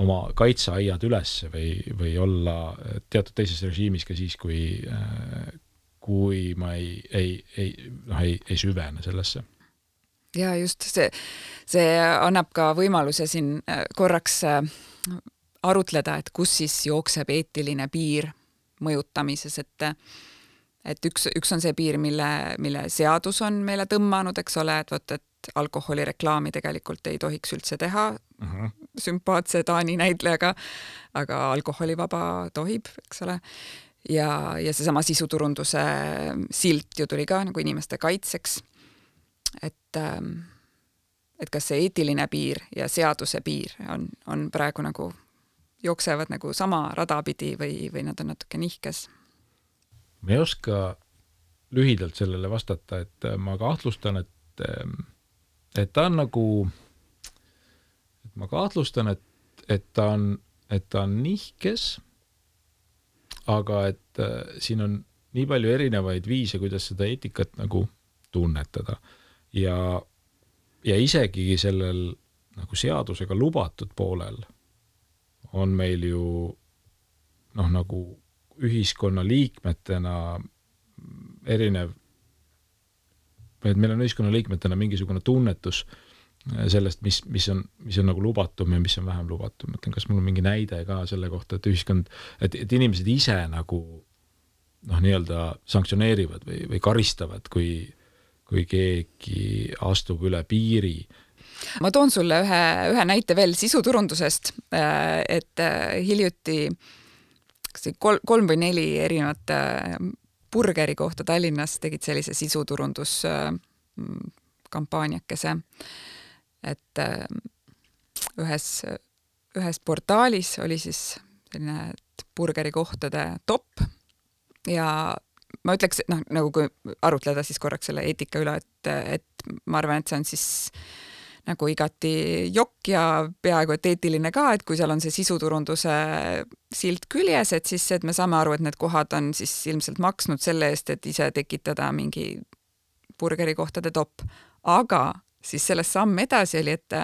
oma kaitseaiad üles või, või olla teatud teises režiimis ka siis, kui, kui ma ei, ei, ei, noh, ei, ei süvene sellesse. Ja just see, see annab ka võimaluse siin korraks arutleda, et kus siis jookseb eetiline piir mõjutamises, et, et üks, üks on see piir, mille, mille seadus on meile tõmmanud, eks ole, et võt, et alkoholireklaami tegelikult ei tohiks üldse teha uh-huh. sümpaatse Taani näitlejaga, aga alkoholivaba tohib, eks ole. Ja, ja seesama sisuturunduse silt ju tuli ka nagu inimeste kaitseks, et, et kas see eetiline piir ja seaduse piir on, on praegu nagu jooksevad nagu sama rada pidi või, või nad on natuke nihkes? Ma ei oska lühidalt sellele vastata, et ma kahtlustan, et, et ta on nagu, et ma kahtlustan, et, et ta on, et ta on nihkes, aga et siin on nii palju erinevaid viise, kuidas seda eetikat nagu tunnetada. Ja, ja isegi sellel nagu seadusega lubatud poolel on meil ju noh, nagu ühiskonna liikmetena erinev, et meil on ühiskonna liikmetena mingisugune tunnetus sellest, mis, mis on, mis on nagu lubatum ja mis on vähem lubatum. Mõtlen, kas mul on mingi näide ka selle kohta, et ühiskond, et, et inimesed ise nagu noh, nii-öelda sanktsioneerivad või, või karistavad, kui, kui keegi astub üle piiri. Ma toon sulle ühe, ühe näite veel sisuturundusest, et hiljuti kolm, kolm või neli erinevat burgeri kohta Tallinnas tegid sellise sisuturundus kampaaniakese, et ühes, ühes portaalis oli siis selline burgeri kohtade top ja ma ütleks, noh, nagu kui arutleda siis korraks selle eetika üle, et, et ma arvan, et see on siis nagu igati jokk ja peaaegu et eetiline ka, et kui seal on see sisuturunduse silt küljes, et siis et me saame aru, et need kohad on siis ilmselt maksnud selle eest, et ise tekitada mingi burgerikohtade top. Aga siis sellest samm edasi oli, et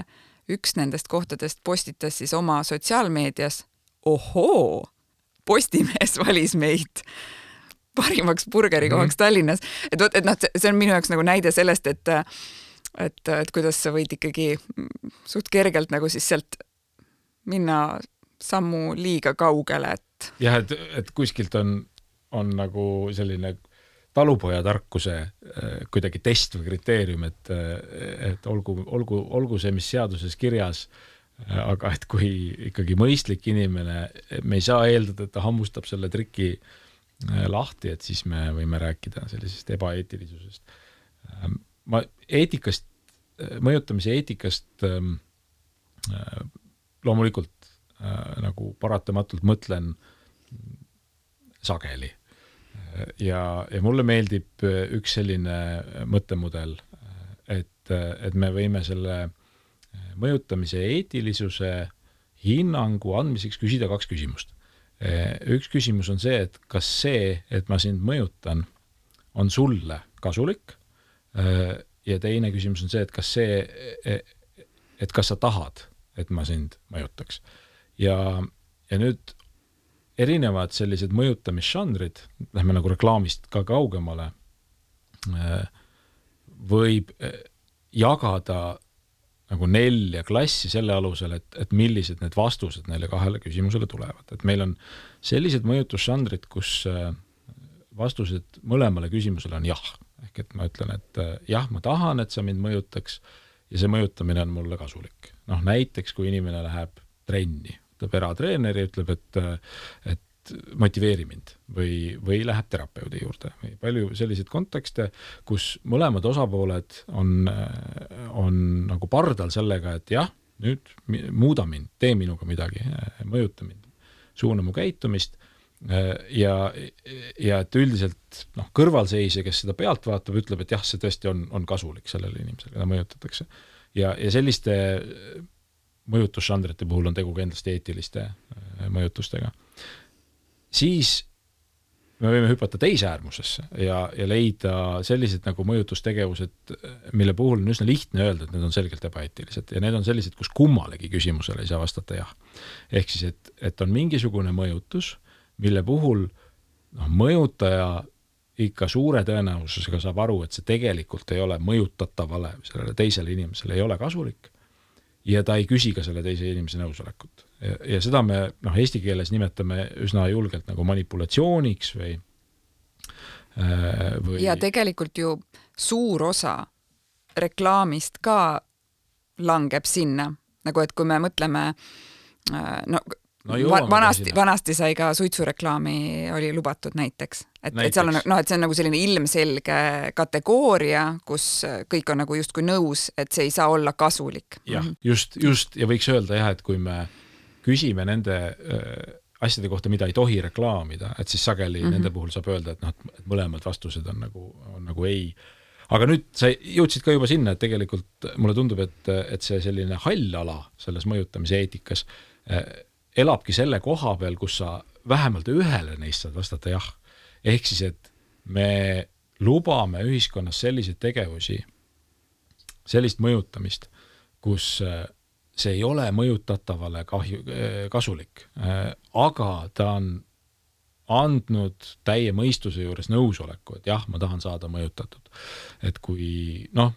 üks nendest kohtadest postitas siis oma sotsiaalmeedias, ohoo, Postimees valis meid parimaks burgerikohaks mm-hmm. Tallinnas. Et, et noh, see on minu jaoks nagu näide sellest, et Et, et kuidas sa võid ikkagi suht kergelt nagu siis sealt minna sammu liiga kaugele, et jah, et, et kuskilt on, on nagu selline talupoja tarkuse kuidagi test või kriteerium, et, et olgu, olgu, olgu see, mis seaduses kirjas, aga et kui ikkagi mõistlik inimene, me ei saa eeldada, et ta hammustab selle triki lahti, et siis me võime rääkida sellisest ebaeetilisusest. Ma eetikast, mõjutamise eetikast ähm, äh, loomulikult äh, nagu paratamatult mõtlen sageli. Ja, ja mulle meeldib üks selline mõttemudel, et, et me võime selle mõjutamise eetilisuse hinnangu andmiseks küsida kaks küsimust. Üks küsimus on see, et kas see, et ma sind mõjutan, on sulle kasulik, ja teine küsimus on see, et kas see, et kas sa tahad, et ma sind mõjutaks. Ja, ja nüüd erinevad sellised mõjutamisžanrid, lähme nagu reklaamist ka kaugemale, võib jagada nagu nelja klassi selle alusel, et, et millised need vastused neile kahele küsimusele tulevad. Et meil on sellised mõjutusžanrid, kus vastused mõlemale küsimusele on jah. ehk et ma ütlen, et jah, ma tahan, et sa mind mõjutaks ja see mõjutamine on mulle kasulik. Noh, näiteks kui inimene läheb trenni, ütleb eratreeneri, ütleb, et, et motiveeri mind või, või läheb terapeudi juurde. Või palju selliseid kontekste, kus mõlemad osapooled on, on nagu pardal sellega, et jah, nüüd muuda mind, tee minuga midagi, mõjuta mind, suuna mu käitumist ja, ja et üldiselt noh, kõrvalseisja, kes seda pealt vaatab, ütleb, et jah, see tõesti on, on kasulik sellele inimesele, keda mõjutatakse. Ja, ja selliste mõjutusžanrite puhul on tegu kindlasti eetiliste mõjutustega. Siis me võime hüpata teise äärmusesse ja, ja leida sellised nagu mõjutustegevused, mille puhul on üsna lihtne öelda, et need on selgelt ebaeetilised ja need on sellised, kus kummalegi küsimusele ei saa vastata jah. Ehk siis, et, et on mingisugune mõjutus, mille puhul noh, mõjutaja ikka suure tõenäosusega saab aru, et see tegelikult ei ole mõjutatavale, sellele teisele inimesele ei ole kasulik ja ta ei küsi ka selle teise inimese nõusolekut. Ja, ja seda me noh, eesti keeles nimetame üsna julgelt nagu manipulatsiooniks või, või... Ja tegelikult ju suur osa reklaamist ka langeb sinna, nagu et kui me mõtleme no, No vanasti, vanasti sai ka suitsureklaami oli lubatud näiteks. Et, näiteks. Et, seal on, no, et see on nagu selline ilmselge kategooria, kus kõik on nagu justkui nõus, et see ei saa olla kasulik. Jah, just, just ja võiks öelda jah, et kui me küsime nende äh, asjade kohta, mida ei tohi reklaamida, et siis sageli mm-hmm. nende puhul saab öelda, et, noh, et mõlemad vastused on nagu, on nagu ei. Aga nüüd sa jõudsid ka juba sinna, et tegelikult mulle tundub, et, et see selline hall ala selles mõjutamise eetikas äh, elabki selle koha peal, kus sa vähemalt ühele neist saad vastata jah. Ehk siis, et me lubame ühiskonnas selliseid tegevusi, sellist mõjutamist, kus see ei ole mõjutatavale kahju, kasulik, aga ta on andnud täie mõistuse juures nõusoleku, et jah, ma tahan saada mõjutatud. Et kui, noh,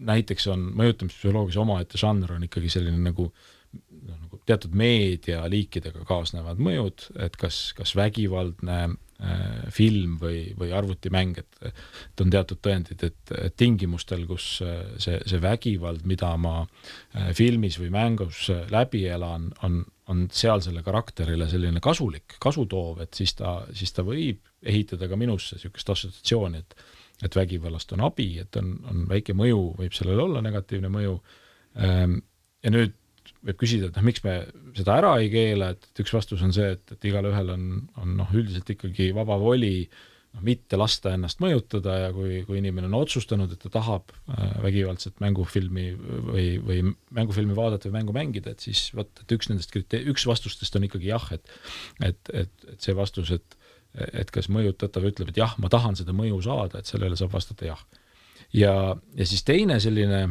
näiteks on mõjutamispsühholoogias omaette žanr on ikkagi selline nagu No, nagu teatud meedialiikidega kaasnevad mõjud, et kas, kas vägivaldne äh, film või, või arvutimäng, et, et on teatud tõendid, et, et tingimustel, kus see, see vägivald, mida ma äh, filmis või mängus läbi elan, on, on seal selle karakterile selline kasulik, kasutoov, et siis ta, siis ta võib ehitada ka minusse niisugust assotsiatsiooni, et, et vägivallast on abi, et on, on väike mõju, võib sellel olla negatiivne mõju. Ähm, ja nüüd võib küsida, et noh, miks me seda ära ei keela, et üks vastus on see, et, et igal ühel on, on noh, üldiselt ikkagi vaba voli noh, mitte lasta ennast mõjutada ja kui, kui inimene on otsustanud, et ta tahab äh, vägivaldset mängufilmi või, või mängufilmi vaadata või mängu mängida, et siis võt, et üks nendest kriteer-, üks vastustest on ikkagi jah, et, et, et, et see vastus, et, et kas mõjutatav ütleb, et jah, ma tahan seda mõju saada, et sellele saab vastata jah. Ja, ja siis teine selline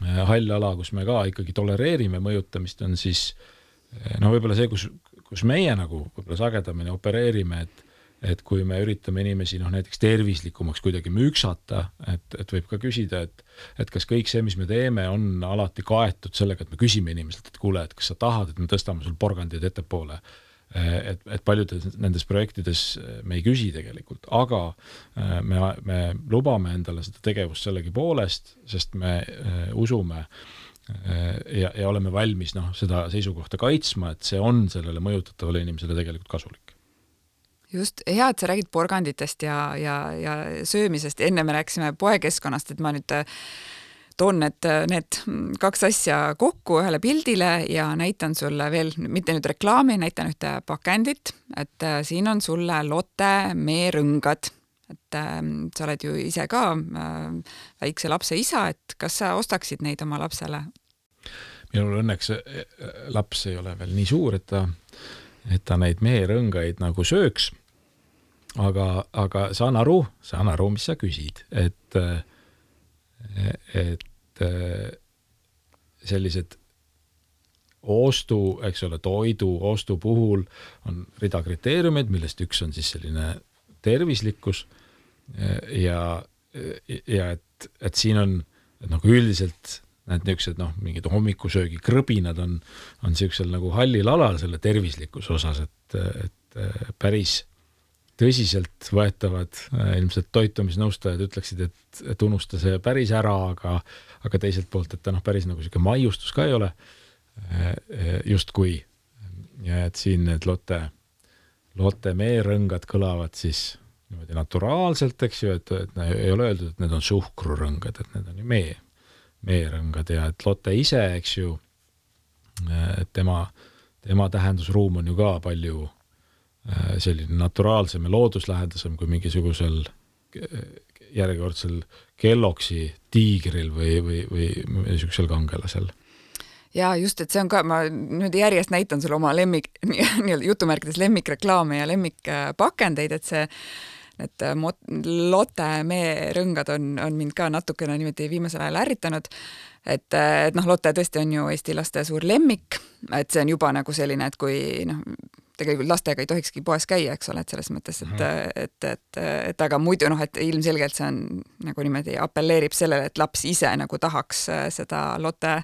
hall ala, kus me ka ikkagi tolereerime mõjutamist, on siis no võib-olla see, kus, kus meie nagu võib-olla sagedamini opereerime, et, et kui me üritame inimesi noh, näiteks tervislikumaks kuidagi müksata, et, et võib ka küsida, et, et kas kõik see, mis me teeme, on alati kaetud sellega, et me küsime inimeselt, et kuule, et kas sa tahad, et me tõstame sul porgandid ettepoole. Et, et paljudes nendes projektides me ei küsi tegelikult, aga me, me lubame endale seda tegevust sellegi poolest, sest me usume ja, ja oleme valmis noh, seda seisukohta kaitsma, et see on sellele mõjutatavale inimesele tegelikult kasulik. Just, hea, et sa räägid porganditest ja, ja, ja söömisest. Enne me rääkisime poekeskkonnast, et ma nüüd toon need, need kaks asja kokku ühele pildile ja näitan sulle veel, mitte nüüd reklaami, näitan ühte pakendit, et siin on sulle Lotte meerõngad, et äh, sa oled ju ise ka äh, väikse lapse isa, et kas sa ostaksid neid oma lapsele? Minul õnneks laps ei ole veel nii suur, et ta, et ta neid meerõngaid nagu sööks, aga, aga saan aru, saan aru, mis sa küsid, et et sellised ostu, eks ole, toidu ostu puhul on rida kriteeriumid, millest üks on siis selline tervislikkus ja, ja et, et siin on et nagu üldiselt need niisugused noh, mingid hommikusöögi krõbinad on, on niisugusel nagu hallil alal selle tervislikkuse osas, et, et päris tõsiselt võetavad ilmselt toitumisnõustajad ütleksid, et, et unusta see päris ära, aga, aga teiselt poolt, et ta noh, päris nagu siuke maiustus ka ei ole just kui. Ja et siin need Lotte, Lotte meerõngad kõlavad siis niimoodi naturaalselt, eks ju, et, et ei ole öeldud, et need on suhkrurõngad, et need on ju mee, meerõngad ja et Lotte ise, eks ju, et tema, tema tähendusruum on ju ka palju selline naturaalsem ja looduslähedasem kui mingisugusel järjekordsel Kelloggsi tiigril või, või, või niisugusel kangelasel. Ja just, et see on ka, ma nüüd järjest näitan sulle oma lemmik, nii-öelda jutumärkides lemmikreklaame ja lemmikpakendeid, et see et Lotte meerõngad on, on mind ka natukene niimoodi viimasel ajal ärritanud, et, et noh, Lotte tõesti on ju Eesti laste suur lemmik, et see on juba nagu selline, et kui noh, tegelikult lastega ei tohikski poes käia, eks ole, et selles mõttes, et, et, et, et aga muidu noh, et ilmselgelt see on nagu niimoodi appelleerib sellele, et laps ise nagu tahaks seda Lotte,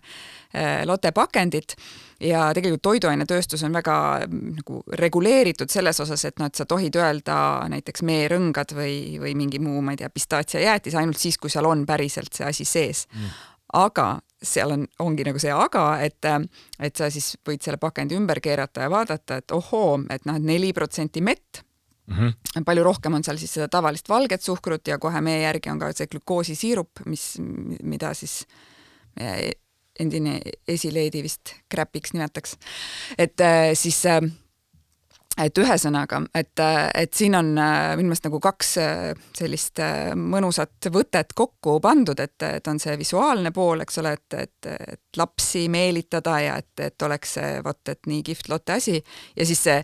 Lotte pakendit ja tegelikult toiduainetööstus on väga nagu reguleeritud selles osas, et noh, et sa tohid öelda näiteks meerõngad või, või mingi muu, ma ei tea, pistaatsiajäätis ainult siis, kui seal on päriselt see asi sees. Mm. Aga seal on, ongi nagu see aga, et, et sa siis võid selle pakendi ümber keerata ja vaadata, et ohoo, et noh, et neli protsenti mett, mm-hmm. palju rohkem on seal siis seda tavalist valget suhkrut ja kohe meie järgi on ka see glükoosisiirup, mis, mida siis endine esileedi vist kräpiks nimetaks. Et siis et ühesõnaga, et, et siin on minu meelest nagu kaks sellist mõnusat võtet kokku pandud, et, et on see visuaalne pool, eks ole, et, et, et lapsi meelitada ja et, et oleks see, vot, et nii kihvt Lotte asi ja siis see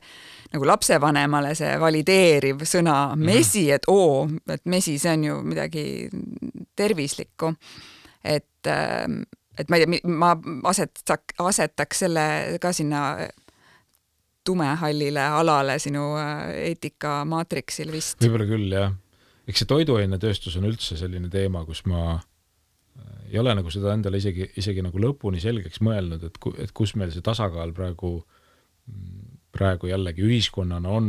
nagu lapsevanemale see valideeriv sõna mesi, et oo, et mesi, see on ju midagi tervislikku, et, et ma ei tea, ma asetaks, asetaks selle ka sinna tumehallile alale sinu eetika-maatriksil vist. Võib-olla küll, jah. Eks see toiduainetööstus on üldse selline teema, kus ma ei ole nagu seda endale isegi, isegi nagu lõpuni selgeks mõelnud, et, et kus meil see tasakaal praegu, praegu jällegi ühiskonnana on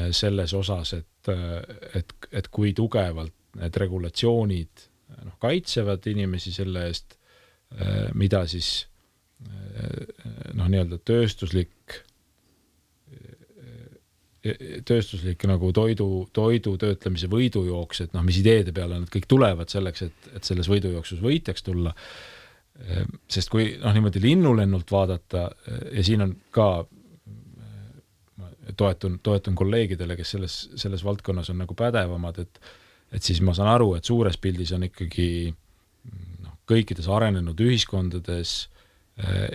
selles osas, et, et, et kui tugevalt need regulatsioonid noh, kaitsevad inimesi selle eest, mida siis noh, nii-öelda tööstuslik tööstuslik nagu toidu, toidu töötlemise võidujooks, et noh, mis ideede peale nad kõik tulevad selleks, et, et selles võidujooksus võitjaks tulla. Sest kui noh, niimoodi linnulennult vaadata ja siin on ka toetun, toetun kolleegidele, kes selles, selles valdkonnas on nagu pädevamad, et, et siis ma saan aru, et suures pildis on ikkagi noh, kõikides arenenud ühiskondades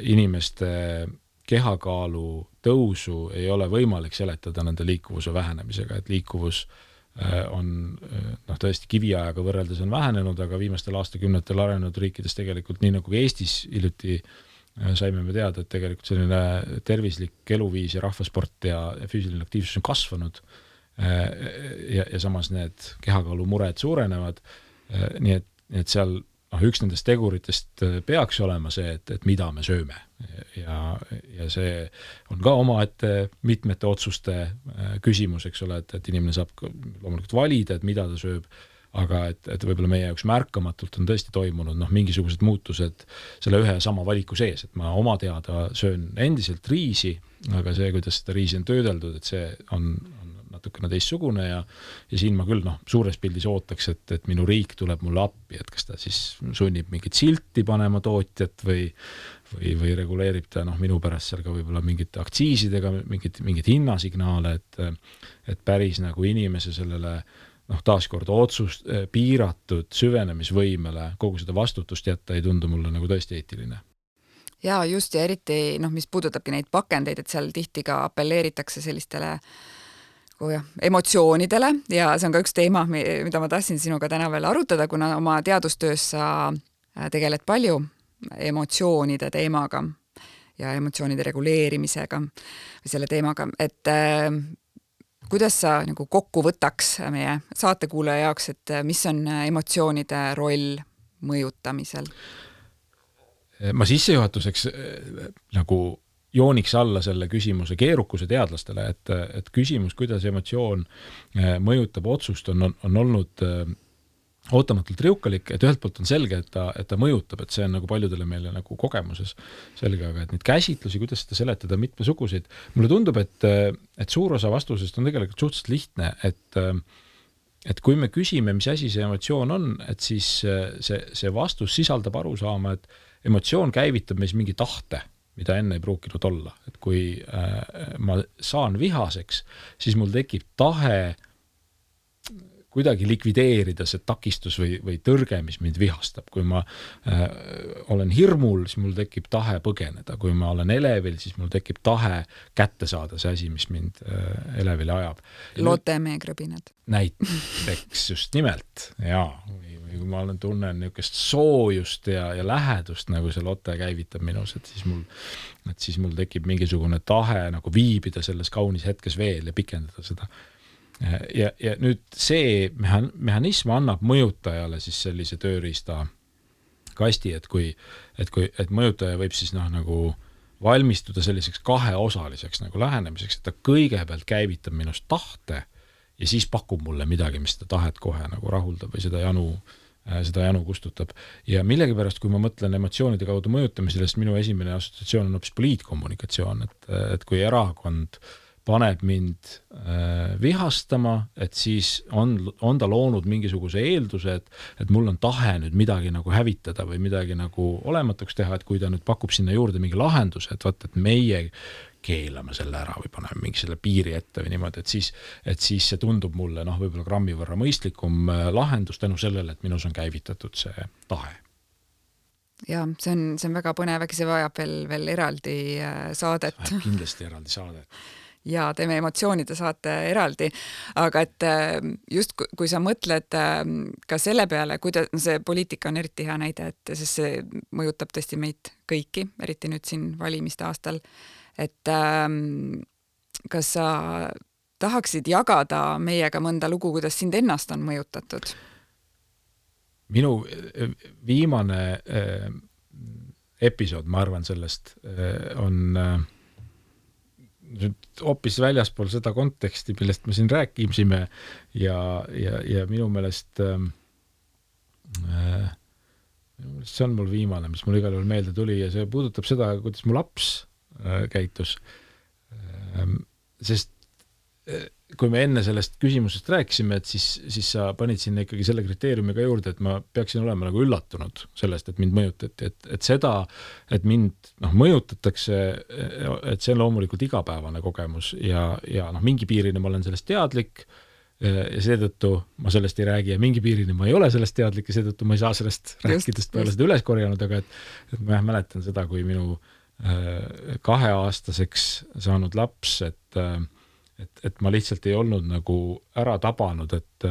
inimeste kehakaalu tõusu ei ole võimalik seletada nende liikuvuse vähenemisega, et liikuvus on noh, tõesti kiviajaga võrreldes on vähenenud, aga viimastel aastakümnetel arenenud riikides tegelikult nii nagu Eestis hiljuti saime me teada, et tegelikult selline tervislik eluviis ja rahvasport ja füüsiline aktiivsus on kasvanud ja, ja samas need kehakaalu mured suurenevad, nii et, nii et seal noh, üks nendest teguritest peaks olema see, et, et mida me sööme ja, ja see on ka omaette mitmete otsuste küsimus, eks ole, et, et inimene saab loomulikult valida, et mida ta sööb, aga et, et võib-olla meie jaoks märkamatult on tõesti toimunud noh, mingisugused muutused selle ühe ja sama valiku sees, et ma oma teada söön endiselt riisi, aga see, kuidas seda riisi on töödeldud, et see on, on natukene teistsugune ja, ja siin ma küll noh, suures pildis ootaks, et, et minu riik tuleb mulle appi, et kas ta siis sunnib mingit silti panema tootjat või, või, või reguleerib ta noh, minu pärast seal ka võib-olla mingite aktsiisidega mingit, mingit hinnasignaale, et, et päris nagu inimese sellele noh, taaskord otsust piiratud süvenemisvõimele kogu seda vastutust jätta ei tundu mulle nagu tõesti eetiline. Ja just ja eriti noh, mis puudutabki neid pakendeid, et seal tihti ka appelleeritakse sellistele oh jah, emotsioonidele ja see on ka üks teema, mida ma tahtsin sinuga täna veel arutada, kuna oma teadustöös sa tegeled palju emotsioonide teemaga ja emotsioonide reguleerimisega või selle teemaga, et äh, kuidas sa nagu kokku võtaks meie saatekuulaja jaoks, et mis on emotsioonide roll mõjutamisel? Ma sissejuhatuseks nagu jooniks alla selle küsimuse keerukuse teadlastele, et, et küsimus, kuidas emotsioon mõjutab otsust, on, on olnud ootamatult riukalik, et ühelt poolt on selge, et ta, et ta mõjutab, et see on nagu paljudele meile nagu kogemuses selge, aga et neid käsitlusi, kuidas seda seletada mitmesuguseid, mulle tundub, et, et suur osa vastusest on tegelikult suhteliselt lihtne, et et kui me küsime, mis asi see emotsioon on, et siis see, see vastus sisaldab aru saama, et emotsioon käivitab meis mingi tahte, mida enne ei pruukinud olla. Et kui äh, ma saan vihaseks, siis mul tekib tahe kuidagi likvideerida see takistus või, või tõrge, mis mind vihastab. Kui ma äh, olen hirmul, siis mul tekib tahe põgeneda. Kui ma olen elevil, siis mul tekib tahe kätte saada see asi, mis mind äh, elevile ajab. Lotemeegrõbinad. Näiteks just nimelt, jaa. Või, või kui ma olen tunnen niisugust soojust ja, ja lähedust, nagu see lote käivitab minus, et siis mul, et siis mul tekib mingisugune tahe nagu viibida selles kaunis hetkes veel ja pikendada seda. Ja, ja nüüd see mehhanism annab mõjutajale siis sellise tööriista kasti, et kui, et kui, et mõjutaja võib siis noh, nagu valmistuda selliseks kaheosaliseks nagu lähenemiseks, et ta kõigepealt käivitab minust tahte ja siis pakub mulle midagi, mis seda tahet kohe nagu rahuldab või seda janu, seda janu kustutab. Ja millegipärast, kui ma mõtlen emotsioonide kaudu mõjutamisele, sest minu esimene assotsiatsioon on hoopis poliitkommunikatsioon, et, et kui erakond paneb mind äh, vihastama, et siis on, on ta loonud mingisuguse eelduse, et, et mul on tahe nüüd midagi nagu hävitada või midagi nagu olematuks teha, et kui ta nüüd pakub sinna juurde mingi lahenduse, et vaat, et meie keelame selle ära või paneme mingi selle piiri ette või niimoodi, et siis, et siis see tundub mulle noh, võib-olla grammi võrra mõistlikum lahendus tänu sellele, et minus on käivitatud see tahe. Ja see on, see on väga põnev, äkki see vajab veel, veel eraldi saadet. Kindlasti eraldi saadet. Ja teeme emotsioonide saate eraldi, aga et just kui sa mõtled ka selle peale, kuidas no see poliitika on eriti hea näide, et sest see mõjutab tõesti meid kõiki, eriti nüüd siin valimiste aastal, et kas sa tahaksid jagada meiega mõnda lugu, kuidas sind ennast on mõjutatud? Minu viimane episood, ma arvan sellest, on hoopis väljaspool seda konteksti, millest me siin rääkisime ja, ja, ja minu meelest äh, minu meelest see on mul viimane, mis mul igal juhul meelde tuli ja see puudutab seda, kuidas mu laps äh, käitus. Äh, sest äh, kui me enne sellest küsimusest rääkisime, et siis, siis sa panid sinna ikkagi selle kriteeriumiga juurde, et ma peaksin olema nagu üllatunud sellest, et mind mõjutati, et, et seda, et mind noh, mõjutatakse, et see on loomulikult igapäevane kogemus ja, ja noh, mingi piirini ma olen sellest teadlik ja seetõttu ma sellest ei räägi ja mingi piirini ma ei ole sellest teadlik ja seetõttu ma ei saa sellest just, rääkidest peale seda üles korjanud, aga et, et ma jah, mäletan seda, kui minu äh, kaheaastaseks saanud laps, et äh, Et, et ma lihtsalt ei olnud nagu ära tabanud, et,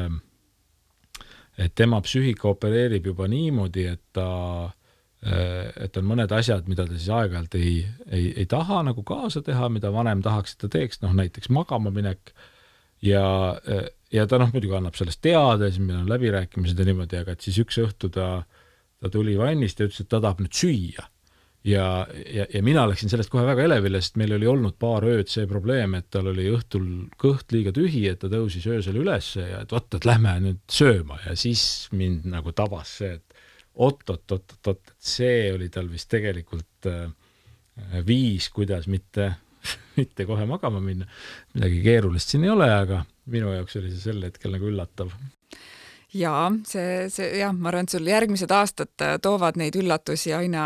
et tema psüühika opereerib juba niimoodi, et ta, et on mõned asjad, mida ta siis aeg-ajalt ei, ei, ei taha nagu kaasa teha, mida vanem tahaks, et ta teeks, noh näiteks magama minek ja, ja ta noh, muidugi annab sellest teada, siis meil on läbirääkimised ja niimoodi, aga et siis üks õhtu ta, ta tuli vannist ja ütles, et ta tahab nüüd süüa. Ja, ja, ja mina läksin sellest kohe väga elevile, sest meil oli olnud paar ööd see probleem, et tal oli õhtul kõht liiga tühi, et ta tõusis öösel üles ja et oot, et lähme nüüd sööma ja siis mind nagu tabas see, et oot, oot, oot, oot, et see oli tal vist tegelikult äh, viis, kuidas mitte, mitte kohe magama minna. Midagi keerulist siin ei ole, aga minu jaoks oli see sel hetkel nagu üllatav. Jaa, see, see, jah, ma arvan, et sul järgmised aastad toovad neid üllatusi aina,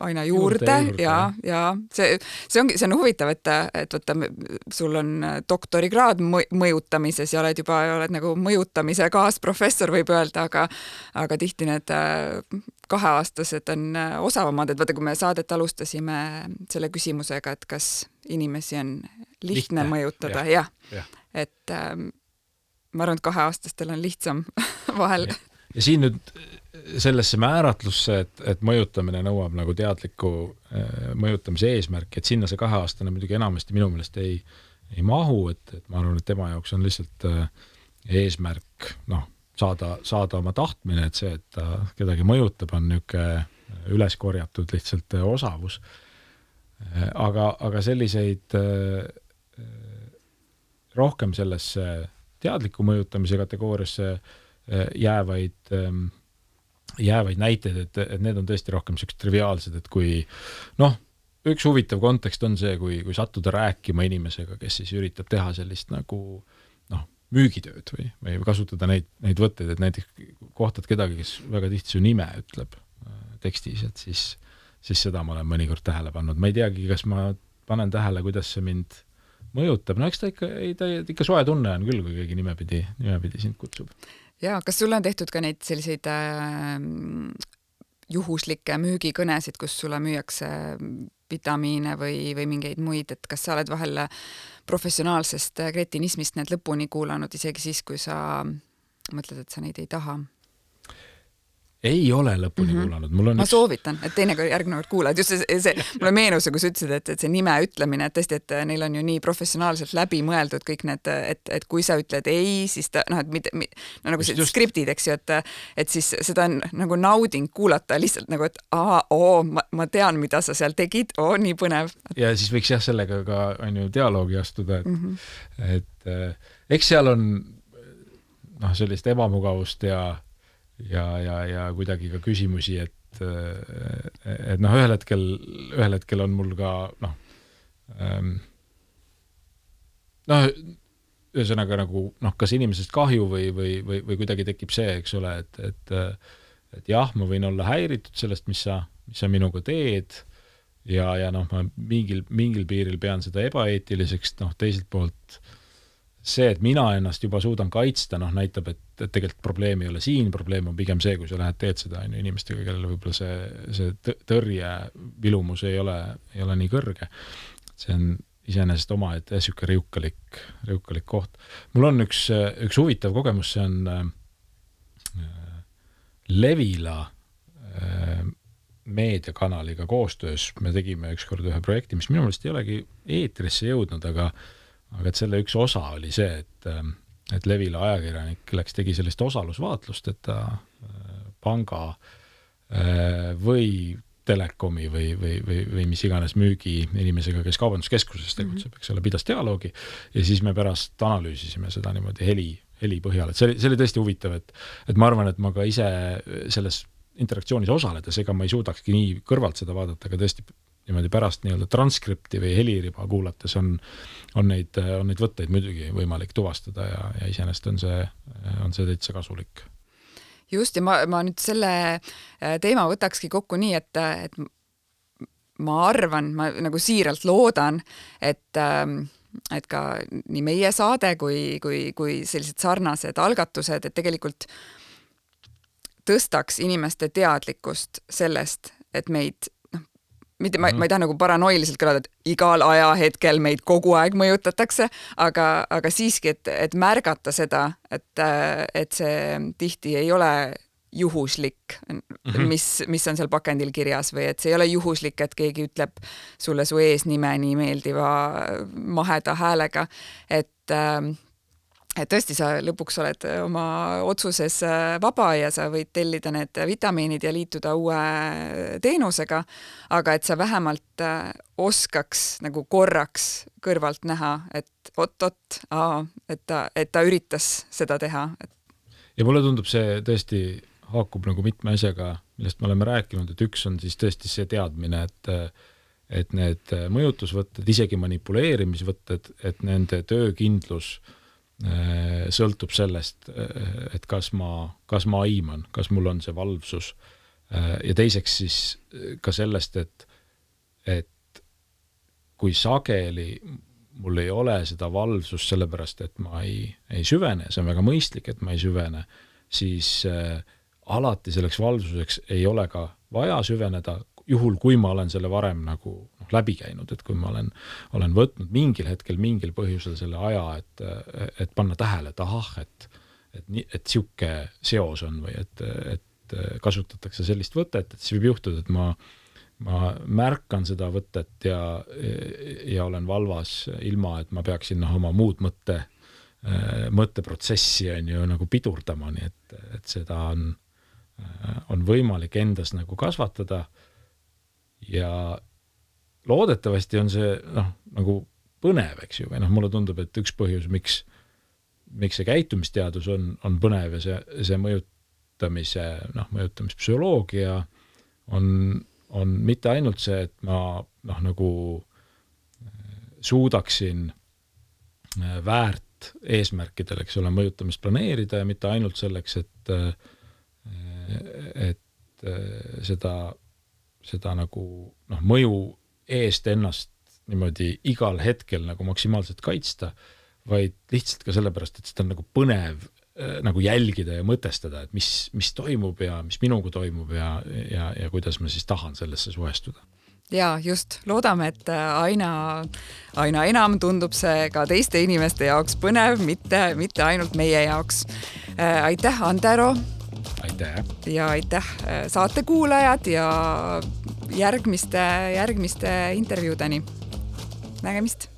aina juurde, juurde, juurde. ja, ja see, see ongi, see on huvitav, et, et võtta, sul on doktorikraad mõjutamises ja oled juba, oled nagu mõjutamise kaasprofessor, võib öelda, aga, aga tihti need kaheaastased on osavamad, et vaata, kui me saadet alustasime selle küsimusega, et kas inimesi on lihtne, lihtne. mõjutada, jah, ja. ja. et ma arvan, et kaheaastastel on lihtsam vahel. Ja, ja siin nüüd sellesse määratlusse, et, et mõjutamine nõuab nagu teadliku äh, mõjutamise eesmärki, et sinna see kaheaastane muidugi enamasti minu meelest ei, ei mahu, et, et ma arvan, et tema jaoks on lihtsalt äh, eesmärk noh, saada, saada oma tahtmine, et see, et ta kedagi mõjutab, on niisugune üles korjatud lihtsalt osavus. aga, aga selliseid rohkem sellesse teadliku mõjutamise kategooriasse jäävaid, jäävaid näiteid, et, et need on tõesti rohkem sellised triviaalsed, et kui noh, üks huvitav kontekst on see, kui, kui sattuda rääkima inimesega, kes siis üritab teha sellist nagu noh, müügitööd või, või kasutada neid, neid võtteid, et näiteks kohtad kedagi, kes väga tihti su nime ütleb tekstis, et siis, siis seda ma olen mõnikord tähele pannud. Ma ei teagi, kas ma panen tähele, kuidas see mind mõjutab. No eks ta ikka, ei, ta ikka soe tunne on küll, kui keegi nimepidi, nimepidi sind kutsub. Ja, kas sul on tehtud ka neid selliseid äh, juhuslikke müügikõnesid, kus sulle müüakse vitamiine või, või mingeid muid, et kas sa oled vahel professionaalsest kretinismist need lõpuni kuulanud, isegi siis, kui sa mõtled, et sa neid ei taha? Ei ole lõpuni mm-hmm. kuulanud. Mul on ma üks... soovitan, et teine kord järgmine kord kuulad. Just see, see mulle meenus, kui sa ütlesid, et, et see nime ütlemine, et tõesti, et neil on ju nii professionaalselt läbi mõeldud kõik need, et, et kui sa ütled ei, siis ta, noh, et mitte, no nagu see just... skriptid, eks ju, et, et siis seda on nagu nauding kuulata lihtsalt nagu, et aa, oo, ma, ma tean, mida sa seal tegid, oo, nii põnev. Ja siis võiks jah sellega ka on ju dialoogi astuda, et, mm-hmm. et äh, eks seal on noh, sellist ebamugavust ja ja, ja, ja kuidagi ka küsimusi, et, et noh, ühel hetkel, ühel hetkel on mul ka noh, noh, ühesõnaga nagu noh, kas inimesest kahju või, või, või, või kuidagi tekib see, eks ole, et, et, et jah, ma võin olla häiritud sellest, mis sa, mis sa minuga teed ja, ja noh, ma mingil, mingil piiril pean seda ebaeetiliseks, noh, teiselt poolt see, et mina ennast juba suudan kaitsta, noh, näitab, et, et tegelikult probleem ei ole siin, probleem on pigem see, kui sa lähed teed seda on ju, inimestega, kellele võib-olla see, see tõrje vilumus ei ole, ei ole nii kõrge. See on iseenesest oma, et siuke riukalik, riukalik koht. Mul on üks, üks huvitav kogemus, see on äh, Levila äh, meediakanaliga koostöös. Me tegime ükskord ühe projekti, mis minu meelest ei olegi eetrisse jõudnud, aga aga et selle üks osa oli see, et, et Levila ajakirjanik läks, tegi sellist osalusvaatlust, et ta panga või telekomi või, või, või, või mis iganes müügi inimesega, kes kaubanduskeskuses tegutseb, eks ole, pidas dialoogi ja siis me pärast analüüsisime seda niimoodi heli, heli põhjal. Et see oli, see oli tõesti huvitav, et, et ma arvan, et ma ka ise selles interaktsioonis osaledes, ega ma ei suudakski nii kõrvalt seda vaadata, aga tõesti niimoodi pärast nii-öelda transkripti või heliriba kuulates on, on, neid, on neid võtteid muidugi võimalik tuvastada ja, ja iseenesest on see, on see täitsa kasulik. Just, ja ma, ma nüüd selle teema võtakski kokku nii, et, et ma arvan, ma nagu siiralt loodan, et, et ka nii meie saade kui, kui, kui sellised sarnased algatused, et tegelikult tõstaks inimeste teadlikkust sellest, et meid mitte, ma, ma ei taha nagu paranoiliselt kõlada, et igal ajahetkel meid kogu aeg mõjutatakse, aga, aga siiski, et, et märgata seda, et, et see tihti ei ole juhuslik, mis, mis on seal pakendil kirjas või et see ei ole juhuslik, et keegi ütleb sulle su eesnime nii meeldiva maheda häälega, et et tõesti, sa lõpuks oled oma otsuses vaba ja sa võid tellida need vitamiinid ja liituda uue teenusega, aga et sa vähemalt oskaks nagu korraks kõrvalt näha, et ot-ot, et ta, et ta üritas seda teha. Ja mulle tundub see tõesti haakub nagu mitme asjaga, millest me oleme rääkinud, et üks on siis tõesti see teadmine, et, et need mõjutusvõtted, isegi manipuleerimisvõtted, et nende töökindlus sõltub sellest, et kas ma, kas ma aiman, kas mul on see valvsus ja teiseks siis ka sellest, et, et kui sageli mul ei ole seda valvsust sellepärast, et ma ei, ei süvene, see on väga mõistlik, et ma ei süvene, siis äh, alati selleks valvsuseks ei ole ka vaja süveneda, juhul kui ma olen selle varem nagu noh, läbi käinud, et kui ma olen, olen võtnud mingil hetkel, mingil põhjusel selle aja, et, et panna tähele, et ahah, et, et, et siuke seos on või et, et kasutatakse sellist võtet, et siis võib juhtuda, et ma, ma märkan seda võtet ja, ja olen valvas ilma, et ma peaksin noh, oma muud mõtte, mõtteprotsessi on ju nagu pidurdama, nii et, et seda on, on võimalik endas nagu kasvatada ja loodetavasti on see noh, nagu põnev, eks ju, või noh, mulle tundub, et üks põhjus, miks, miks see käitumisteadus on, on põnev ja see, see mõjutamise, noh, mõjutamispsühholoogia on, on mitte ainult see, et ma noh, nagu suudaksin väärt eesmärkidel, eks ole, mõjutamist planeerida ja mitte ainult selleks, et, et seda, seda nagu noh, mõju eest ennast niimoodi igal hetkel nagu maksimaalselt kaitsta, vaid lihtsalt ka sellepärast, et seda on nagu põnev nagu jälgida ja mõtestada, et mis, mis toimub ja mis minuga toimub ja, ja, ja kuidas ma siis tahan sellesse suhestuda. Ja just, loodame, et aina, aina enam tundub see ka teiste inimeste jaoks põnev, mitte, mitte ainult meie jaoks. Aitäh, Antero! Aitäh! Ja aitäh saatekuulajad ja järgmiste, järgmiste intervjuudeni. Nägemist!